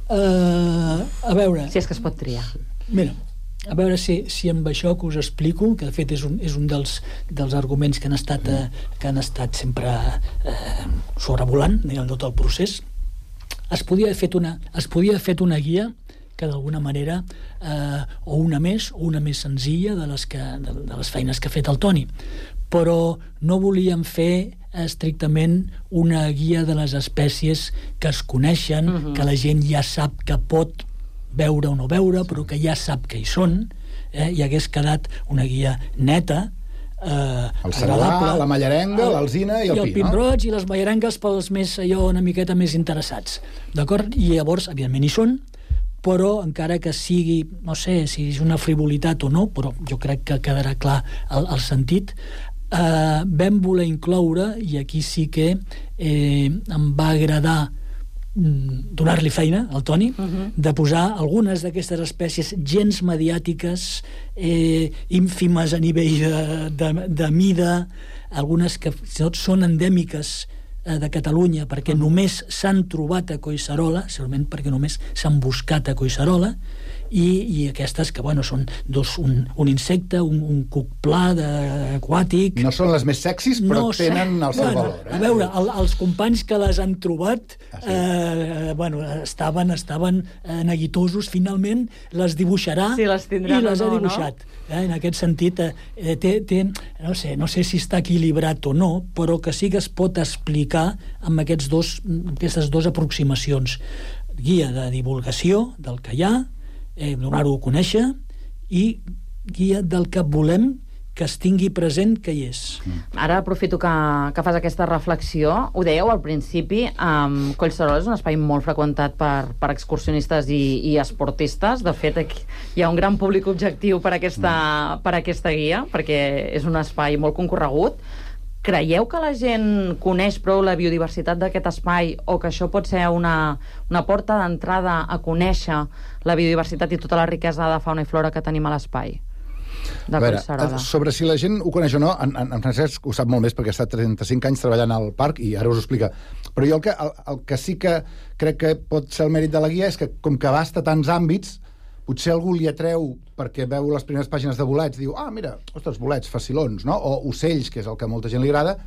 Uh, a veure... Si és que es pot triar. Mira, a veure si, si amb això que us explico, que de fet és un, és un dels, dels arguments que han estat, eh, que han estat sempre eh, sobrevolant, diguem, tot el procés, es podia haver fet una, es podia haver fet una guia que d'alguna manera, eh, o una més, o una més senzilla de les, que, de, de les feines que ha fet el Toni. Però no volíem fer estrictament una guia de les espècies que es coneixen, uh-huh. que la gent ja sap que pot veure o no veure, però que ja sap que hi són, eh? I hagués quedat una guia neta, eh, el cerdà, la mallarenga, l'alzina i el pi, no? I el pin-roig i les mallarengues pels més, allò, una miqueta més interessats. D'acord? I llavors, evidentment, hi són, però encara que sigui, no sé si és una frivolitat o no, però jo crec que quedarà clar el, el sentit, eh, vam voler incloure, i aquí sí que eh, em va agradar donar-li feina al Toni, uh-huh. de posar algunes d'aquestes espècies gens mediàtiques, eh, ínfimes a nivell de, de, de mida, algunes que són endèmiques eh, de Catalunya, perquè uh-huh. només s'han trobat a Collserola, segurament perquè només s'han buscat a Collserola, i, i aquestes que, bueno, són dos, un, un insecte, un, un cuc pla de, aquàtic... No són les més sexis, però no tenen el seu bueno, valor. Eh? A veure, el, els companys que les han trobat ah, sí. eh, bueno, estaven, estaven eh, neguitosos, finalment les dibuixarà sí, les i les no, ha dibuixat. No? Eh, en aquest sentit, eh, té, té, no sé, no sé si està equilibrat o no, però que sí que es pot explicar amb aquests dos, aquestes dues aproximacions. Guia de divulgació del que hi ha, eh, donar-ho a conèixer, i guia del que volem que es tingui present que hi és. Ara aprofito que, que fas aquesta reflexió. Ho dèieu al principi, um, Collserola és un espai molt freqüentat per, per excursionistes i, i esportistes. De fet, aquí hi ha un gran públic objectiu per aquesta, per aquesta guia, perquè és un espai molt concorregut. Creieu que la gent coneix prou la biodiversitat d'aquest espai, o que això pot ser una, una porta d'entrada a conèixer la biodiversitat i tota la riquesa de fauna i flora que tenim a l'espai de Collserola? Sobre si la gent ho coneix o no, en, en, en Francesc ho sap molt més, perquè ha estat trenta-cinc anys treballant al parc i ara us ho explica. Però jo el que, el, el que sí que crec que pot ser el mèrit de la guia és que, com que abasta tants àmbits, potser algú li atreu perquè veu les primeres pàgines de bolets, diu, ah, mira, ostres, bolets, facilons, no? O ocells, que és el que a molta gent li agrada,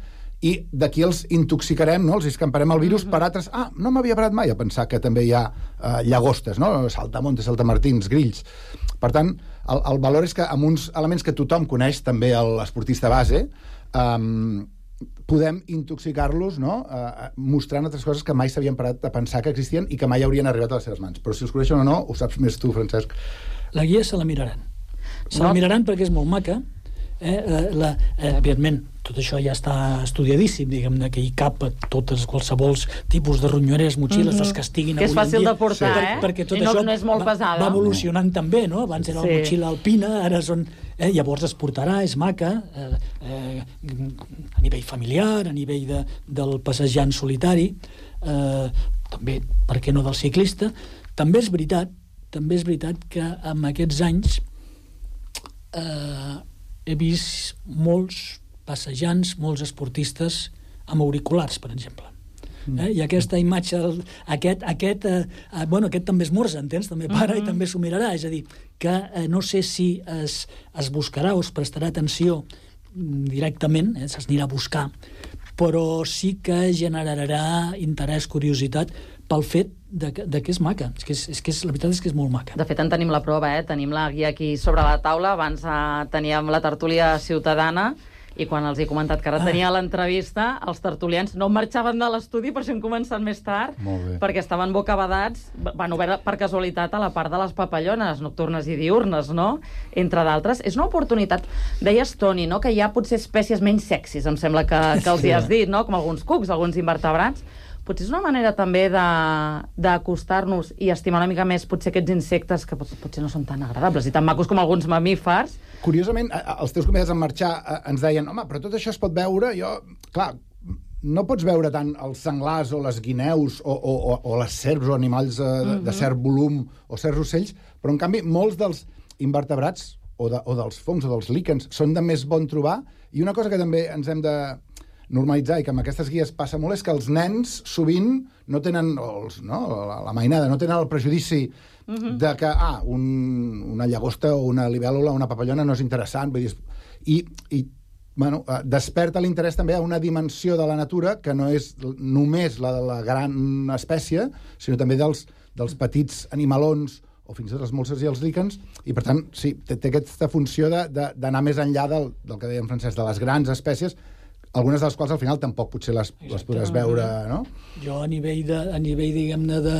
i d'aquí els intoxicarem, no? Els escamparem el virus, mm-hmm. per altres... Ah, no m'havia parat mai a pensar que també hi ha eh, llagostes, no? Saltamontes, saltamartins, grills. Per tant, el, el valor és que amb uns elements que tothom coneix, també l'esportista base, eh, podem intoxicar-los, no? Eh, mostrant altres coses que mai s'havien parat a pensar que existien i que mai haurien arribat a les seves mans. Però si els coneixen o no, ho saps més tu, Francesc. La guia se la miraran. Se No. la miraran perquè és molt maca. Eh, la, eh, evidentment, tot això ja està estudiadíssim, diguem-ne, que hi cap a totes, qualsevol tipus de ronyoneres, motxilles, mm-hmm. les que estiguin que és avui fàcil en dia, de portar, per, eh? perquè tot I no, això no és molt va, pesada. va evolucionant també, no? Abans era Sí. la motxilla alpina, ara són... Eh, llavors es portarà, és maca, eh, eh, a nivell familiar, a nivell de, del passejant solitari, eh, també, per què no, del ciclista. També és veritat, també és veritat que en aquests anys eh, he vist molts passejants, molts esportistes amb auriculars, per exemple. Eh? I aquesta imatge, aquest, aquest, eh, bueno, aquest també es morsa, entens? També para uh-huh. i també s'ho mirarà. És a dir, que eh, no sé si es, es buscarà o es prestarà atenció directament, eh, s'anirà a buscar, però sí que generarà interès, curiositat, pel fet de que, de que és maca. És que és, és que és, la veritat és que és molt maca. De fet, en tenim la prova, eh? Tenim la guia aquí sobre la taula. Abans eh, teníem la tertúlia ciutadana, i quan els he comentat que ara tenia l'entrevista, els tertulians no marxaven de l'estudi, per això hem començat més tard, perquè estaven bocabadats, van obert per casualitat a la part de les papallones nocturnes i diurnes, no? Entre d'altres. És una oportunitat. Deies, Toni, no? Que hi ha potser espècies menys sexis, em sembla que, que els hi has dit, no? Com alguns cucs, alguns invertebrats. Potser és una manera també d'acostar-nos i estimar una mica més potser aquests insectes que potser no són tan agradables i tan macos com alguns mamífers. Curiosament, els teus convidats en marxar ens deien, home, però tot això es pot veure, jo... Clar, no pots veure tant els senglars o les guineus o, o, o, o les serps o animals de, mm-hmm. de cert volum o certs ocells, però en canvi molts dels invertebrats o, de, o dels fongs o dels líquens són de més bon trobar, i una cosa que també ens hem de normalitzar i que amb aquestes guies passa molt és que els nens sovint no tenen, els, no, la, la mainada, no tenen el prejudici uh-huh. de que, ah, un, una llagosta o una libèl·lula o una papallona no és interessant, vull dir, i, i bueno, desperta l'interès també a una dimensió de la natura que no és només la de la gran espècie, sinó també dels, dels petits animalons o fins i tot els molses i els líquens, i per tant, sí, té, té aquesta funció d'anar més enllà del, del que dèiem Francesc, de les grans espècies, algunes de les quals al final tampoc potser les, les podràs veure, no? Jo a nivell, de, a nivell diguem-ne, de,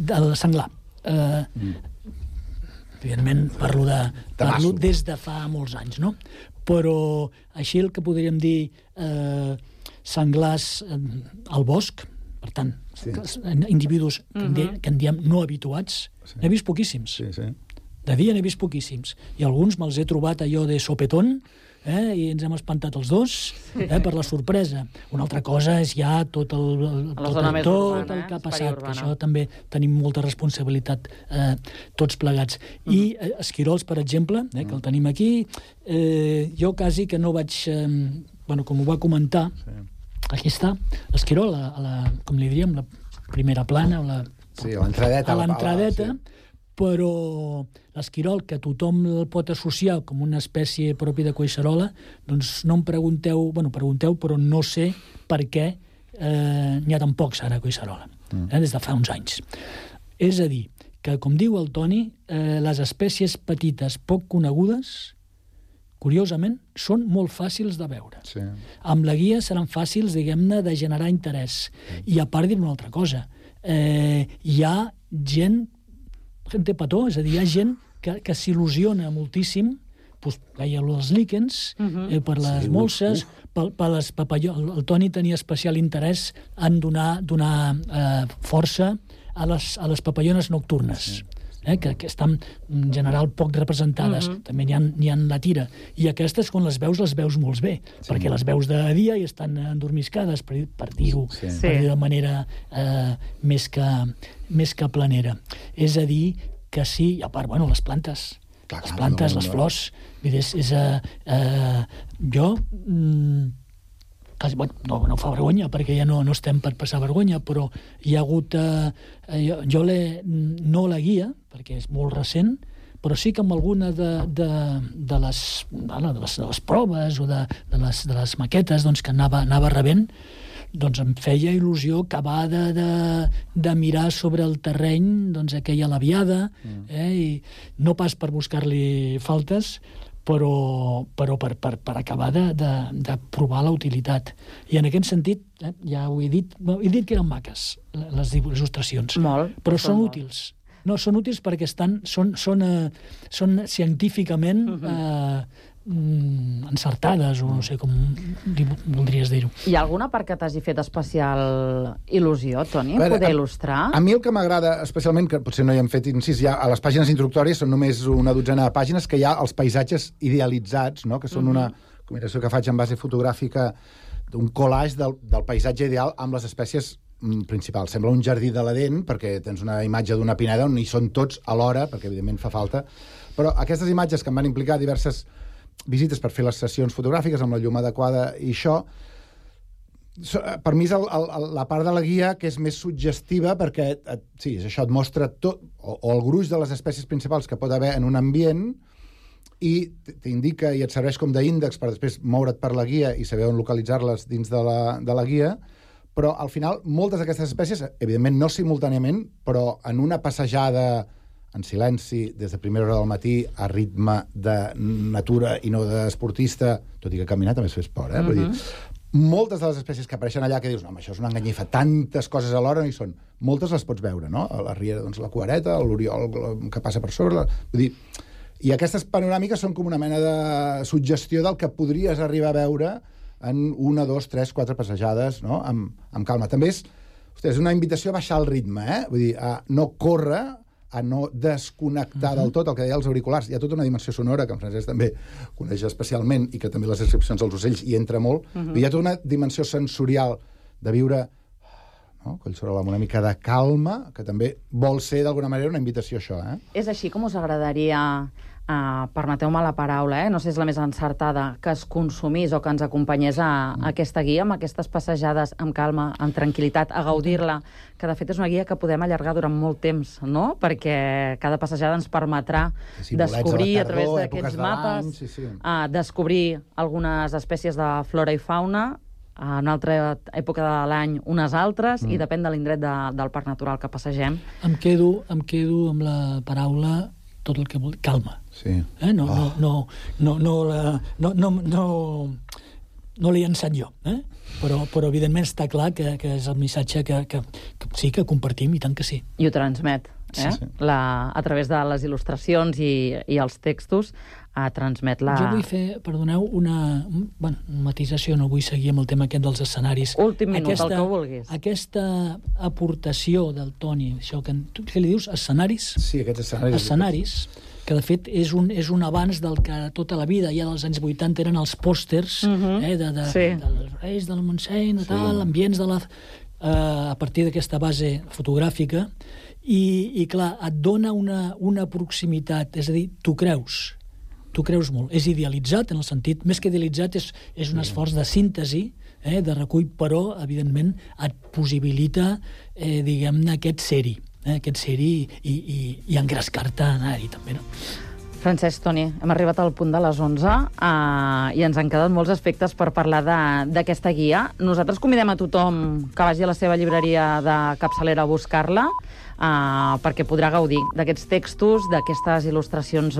del senglar, eh, mm. evidentment parlo, de, parlo des de fa molts anys, no? Però així el que podríem dir eh, senglars eh, al bosc, per tant, sí. individus que, en diem, que en diem no habituats, sí. n'he vist poquíssims. Sí, sí. De dia n'he vist poquíssims. I alguns me'ls he trobat allò de sopetón, eh, i ens hem espantat els dos, eh, per la sorpresa. Una altra cosa és ja tot el, el, tot, el, tot urbana, el que ha passat, que això també tenim molta responsabilitat eh, tots plegats. Mm. I eh, esquirols, per exemple, eh, que el tenim aquí, eh, jo quasi que no vaig... Eh, bueno, com ho va comentar, sí. Aquí està, l'esquirol, a, a la, com li diríem, la primera plana, la, sí, a l'entradeta, a l'entradeta, sí. Però l'esquirol, que tothom el pot associar com una espècie pròpia de collserola, doncs no em pregunteu, bueno, pregunteu, però no sé per què eh, n'hi ha tan pocs ara a collserola, mm. eh, des de fa uns anys. És a dir, que com diu el Toni, eh, les espècies petites poc conegudes, curiosament, són molt fàcils de veure. Sí. Amb la guia seran fàcils, diguem-ne, de generar interès. Mm. I a part dir una altra cosa, eh, hi ha gent gente petó, és a dir, hi ha gent que, que s'il·lusiona moltíssim, doncs, veia els líquens, uh-huh. eh, per les sí, molses, uh. per, per les papallones. El, el Toni tenia especial interès en donar, donar eh, força a les, a les papallones nocturnes. Sí. Eh, que, que estan en general poc representades. Uh-huh. També n'hi ha, n'hi ha la tira. I aquestes, quan les veus, les veus molt bé, sí. perquè les veus de dia i estan endormiscades, per, per dir-ho sí. per dir de manera eh, més, que, més que planera. És a dir, que sí, i a part, bueno, les plantes, clar, les plantes, no, no, les flors, no. és, és uh, uh, jo... Mm, no, no fa vergonya, perquè ja no, no estem per passar vergonya, però hi ha hagut... Eh, jo jo no la guia, perquè és molt recent, però sí que amb alguna de, de, de, les, de, les, de les proves o de, de, les, de les maquetes doncs, que anava, anava rebent, doncs em feia il·lusió acabar de, de, de mirar sobre el terreny doncs, aquella labiada, mm. eh, i no pas per buscar-li faltes, però, però per, per, per acabar de, de, de provar la utilitat. I en aquest sentit, eh, ja ho he dit, he dit que eren maques, les il·lustracions. Molt. Però són molt. útils. No, són útils perquè estan, són, són, eh, són científicament uh-huh. eh, encertades, o no sé com voldries dir-ho. Hi ha alguna part que t'hagi fet especial il·lusió, Toni, veure, poder a, il·lustrar? A mi el que m'agrada especialment, que potser no hi hem fet incís, ja a les pàgines introductòries són només una dotzena de pàgines, que hi ha els paisatges idealitzats, no? Que són una combinació que faig en base fotogràfica d'un collage del, del paisatge ideal amb les espècies principals. Sembla un jardí de l'Edén, perquè tens una imatge d'una pineda on hi són tots alhora, perquè evidentment fa falta, però aquestes imatges que em van implicar diverses visites per fer les sessions fotogràfiques amb la llum adequada i això, per mi és el, el, la part de la guia que és més suggestiva perquè, et, sí, és això, et mostra tot, o, o el gruix de les espècies principals que pot haver en un ambient i t'indica i et serveix com d'índex per després moure't per la guia i saber on localitzar-les dins de la, de la guia, però al final moltes d'aquestes espècies, evidentment no simultàniament, però en una passejada en silenci, des de primera hora del matí, a ritme de natura i no d'esportista, tot i que caminar també es fa esport, eh? Uh-huh. Vull dir, moltes de les espècies que apareixen allà que dius, no, això és una enganyifa, tantes coses alhora no hi són. Moltes les pots veure, no? A la riera, doncs, la cuareta, l'oriol que passa per sobre... La... Vull dir, i aquestes panoràmiques són com una mena de suggestió del que podries arribar a veure en una, dos, tres, quatre passejades, no? Amb, amb calma. També és, hosti, és una invitació a baixar el ritme, eh? Vull dir, a no córrer, a no desconnectar uh-huh. del tot, el que deia els auriculars. Hi ha tota una dimensió sonora, que en Francesc també coneix especialment, i que també les descripcions dels ocells hi entra molt. Uh-huh. Hi ha tota una dimensió sensorial de viure, no? Collserola, amb una mica de calma, que també vol ser, d'alguna manera, una invitació a això. Eh? És així com us agradaria, uh, permeteu-me la paraula, eh? no sé si és la més encertada, que es consumís o que ens acompanyés a, a aquesta guia, amb aquestes passejades amb calma, amb tranquil·litat, a gaudir-la, que de fet és una guia que podem allargar durant molt temps, no? Perquè cada passejada ens permetrà sí, descobrir a, tardor, a través d'aquests mapes, sí, sí. Uh, descobrir algunes espècies de flora i fauna, a una altra època de l'any unes altres, mm. i depèn de l'indret de, del parc natural que passegem. Em quedo, em quedo amb la paraula tot el que vol... calma. Sí. Eh? No, oh. no, no, no, no, la, no, no, no, no l'he llançat jo, eh? però, però evidentment està clar que, que és el missatge que, que, que sí que compartim, i tant que sí. I ho transmet, eh? Sí, sí. La, a través de les il·lustracions i, i els textos, a transmet la... Jo vull fer, perdoneu, una, bueno, una matisació, no vull seguir amb el tema aquest dels escenaris. Últim minut, aquesta, el que vulguis. Aquesta aportació del Toni, això que tu què li dius, escenaris? Sí, aquests escenaris. Escenaris, que de fet és un, és un abans del que tota la vida, ja dels anys vuitanta, eren els pòsters, uh-huh. eh, de, de, sí. dels Reis, del Montseny, de sí. tal, ambients de la... Uh, a partir d'aquesta base fotogràfica, i, i clar, et dona una, una proximitat, és a dir, tu creus, tu creus molt. És idealitzat, en el sentit, més que idealitzat, és, és un esforç de síntesi, eh, de recull, però, evidentment, et possibilita, eh, diguem-ne, aquest ser-hi, eh, aquest ser-hi i, i, i engrescar-te a anar-hi, també, no? Francesc, Toni, hem arribat al punt de les onze uh, i ens han quedat molts aspectes per parlar d'aquesta guia. Nosaltres convidem a tothom que vagi a la seva llibreria de capçalera a buscar-la uh, perquè podrà gaudir d'aquests textos, d'aquestes il·lustracions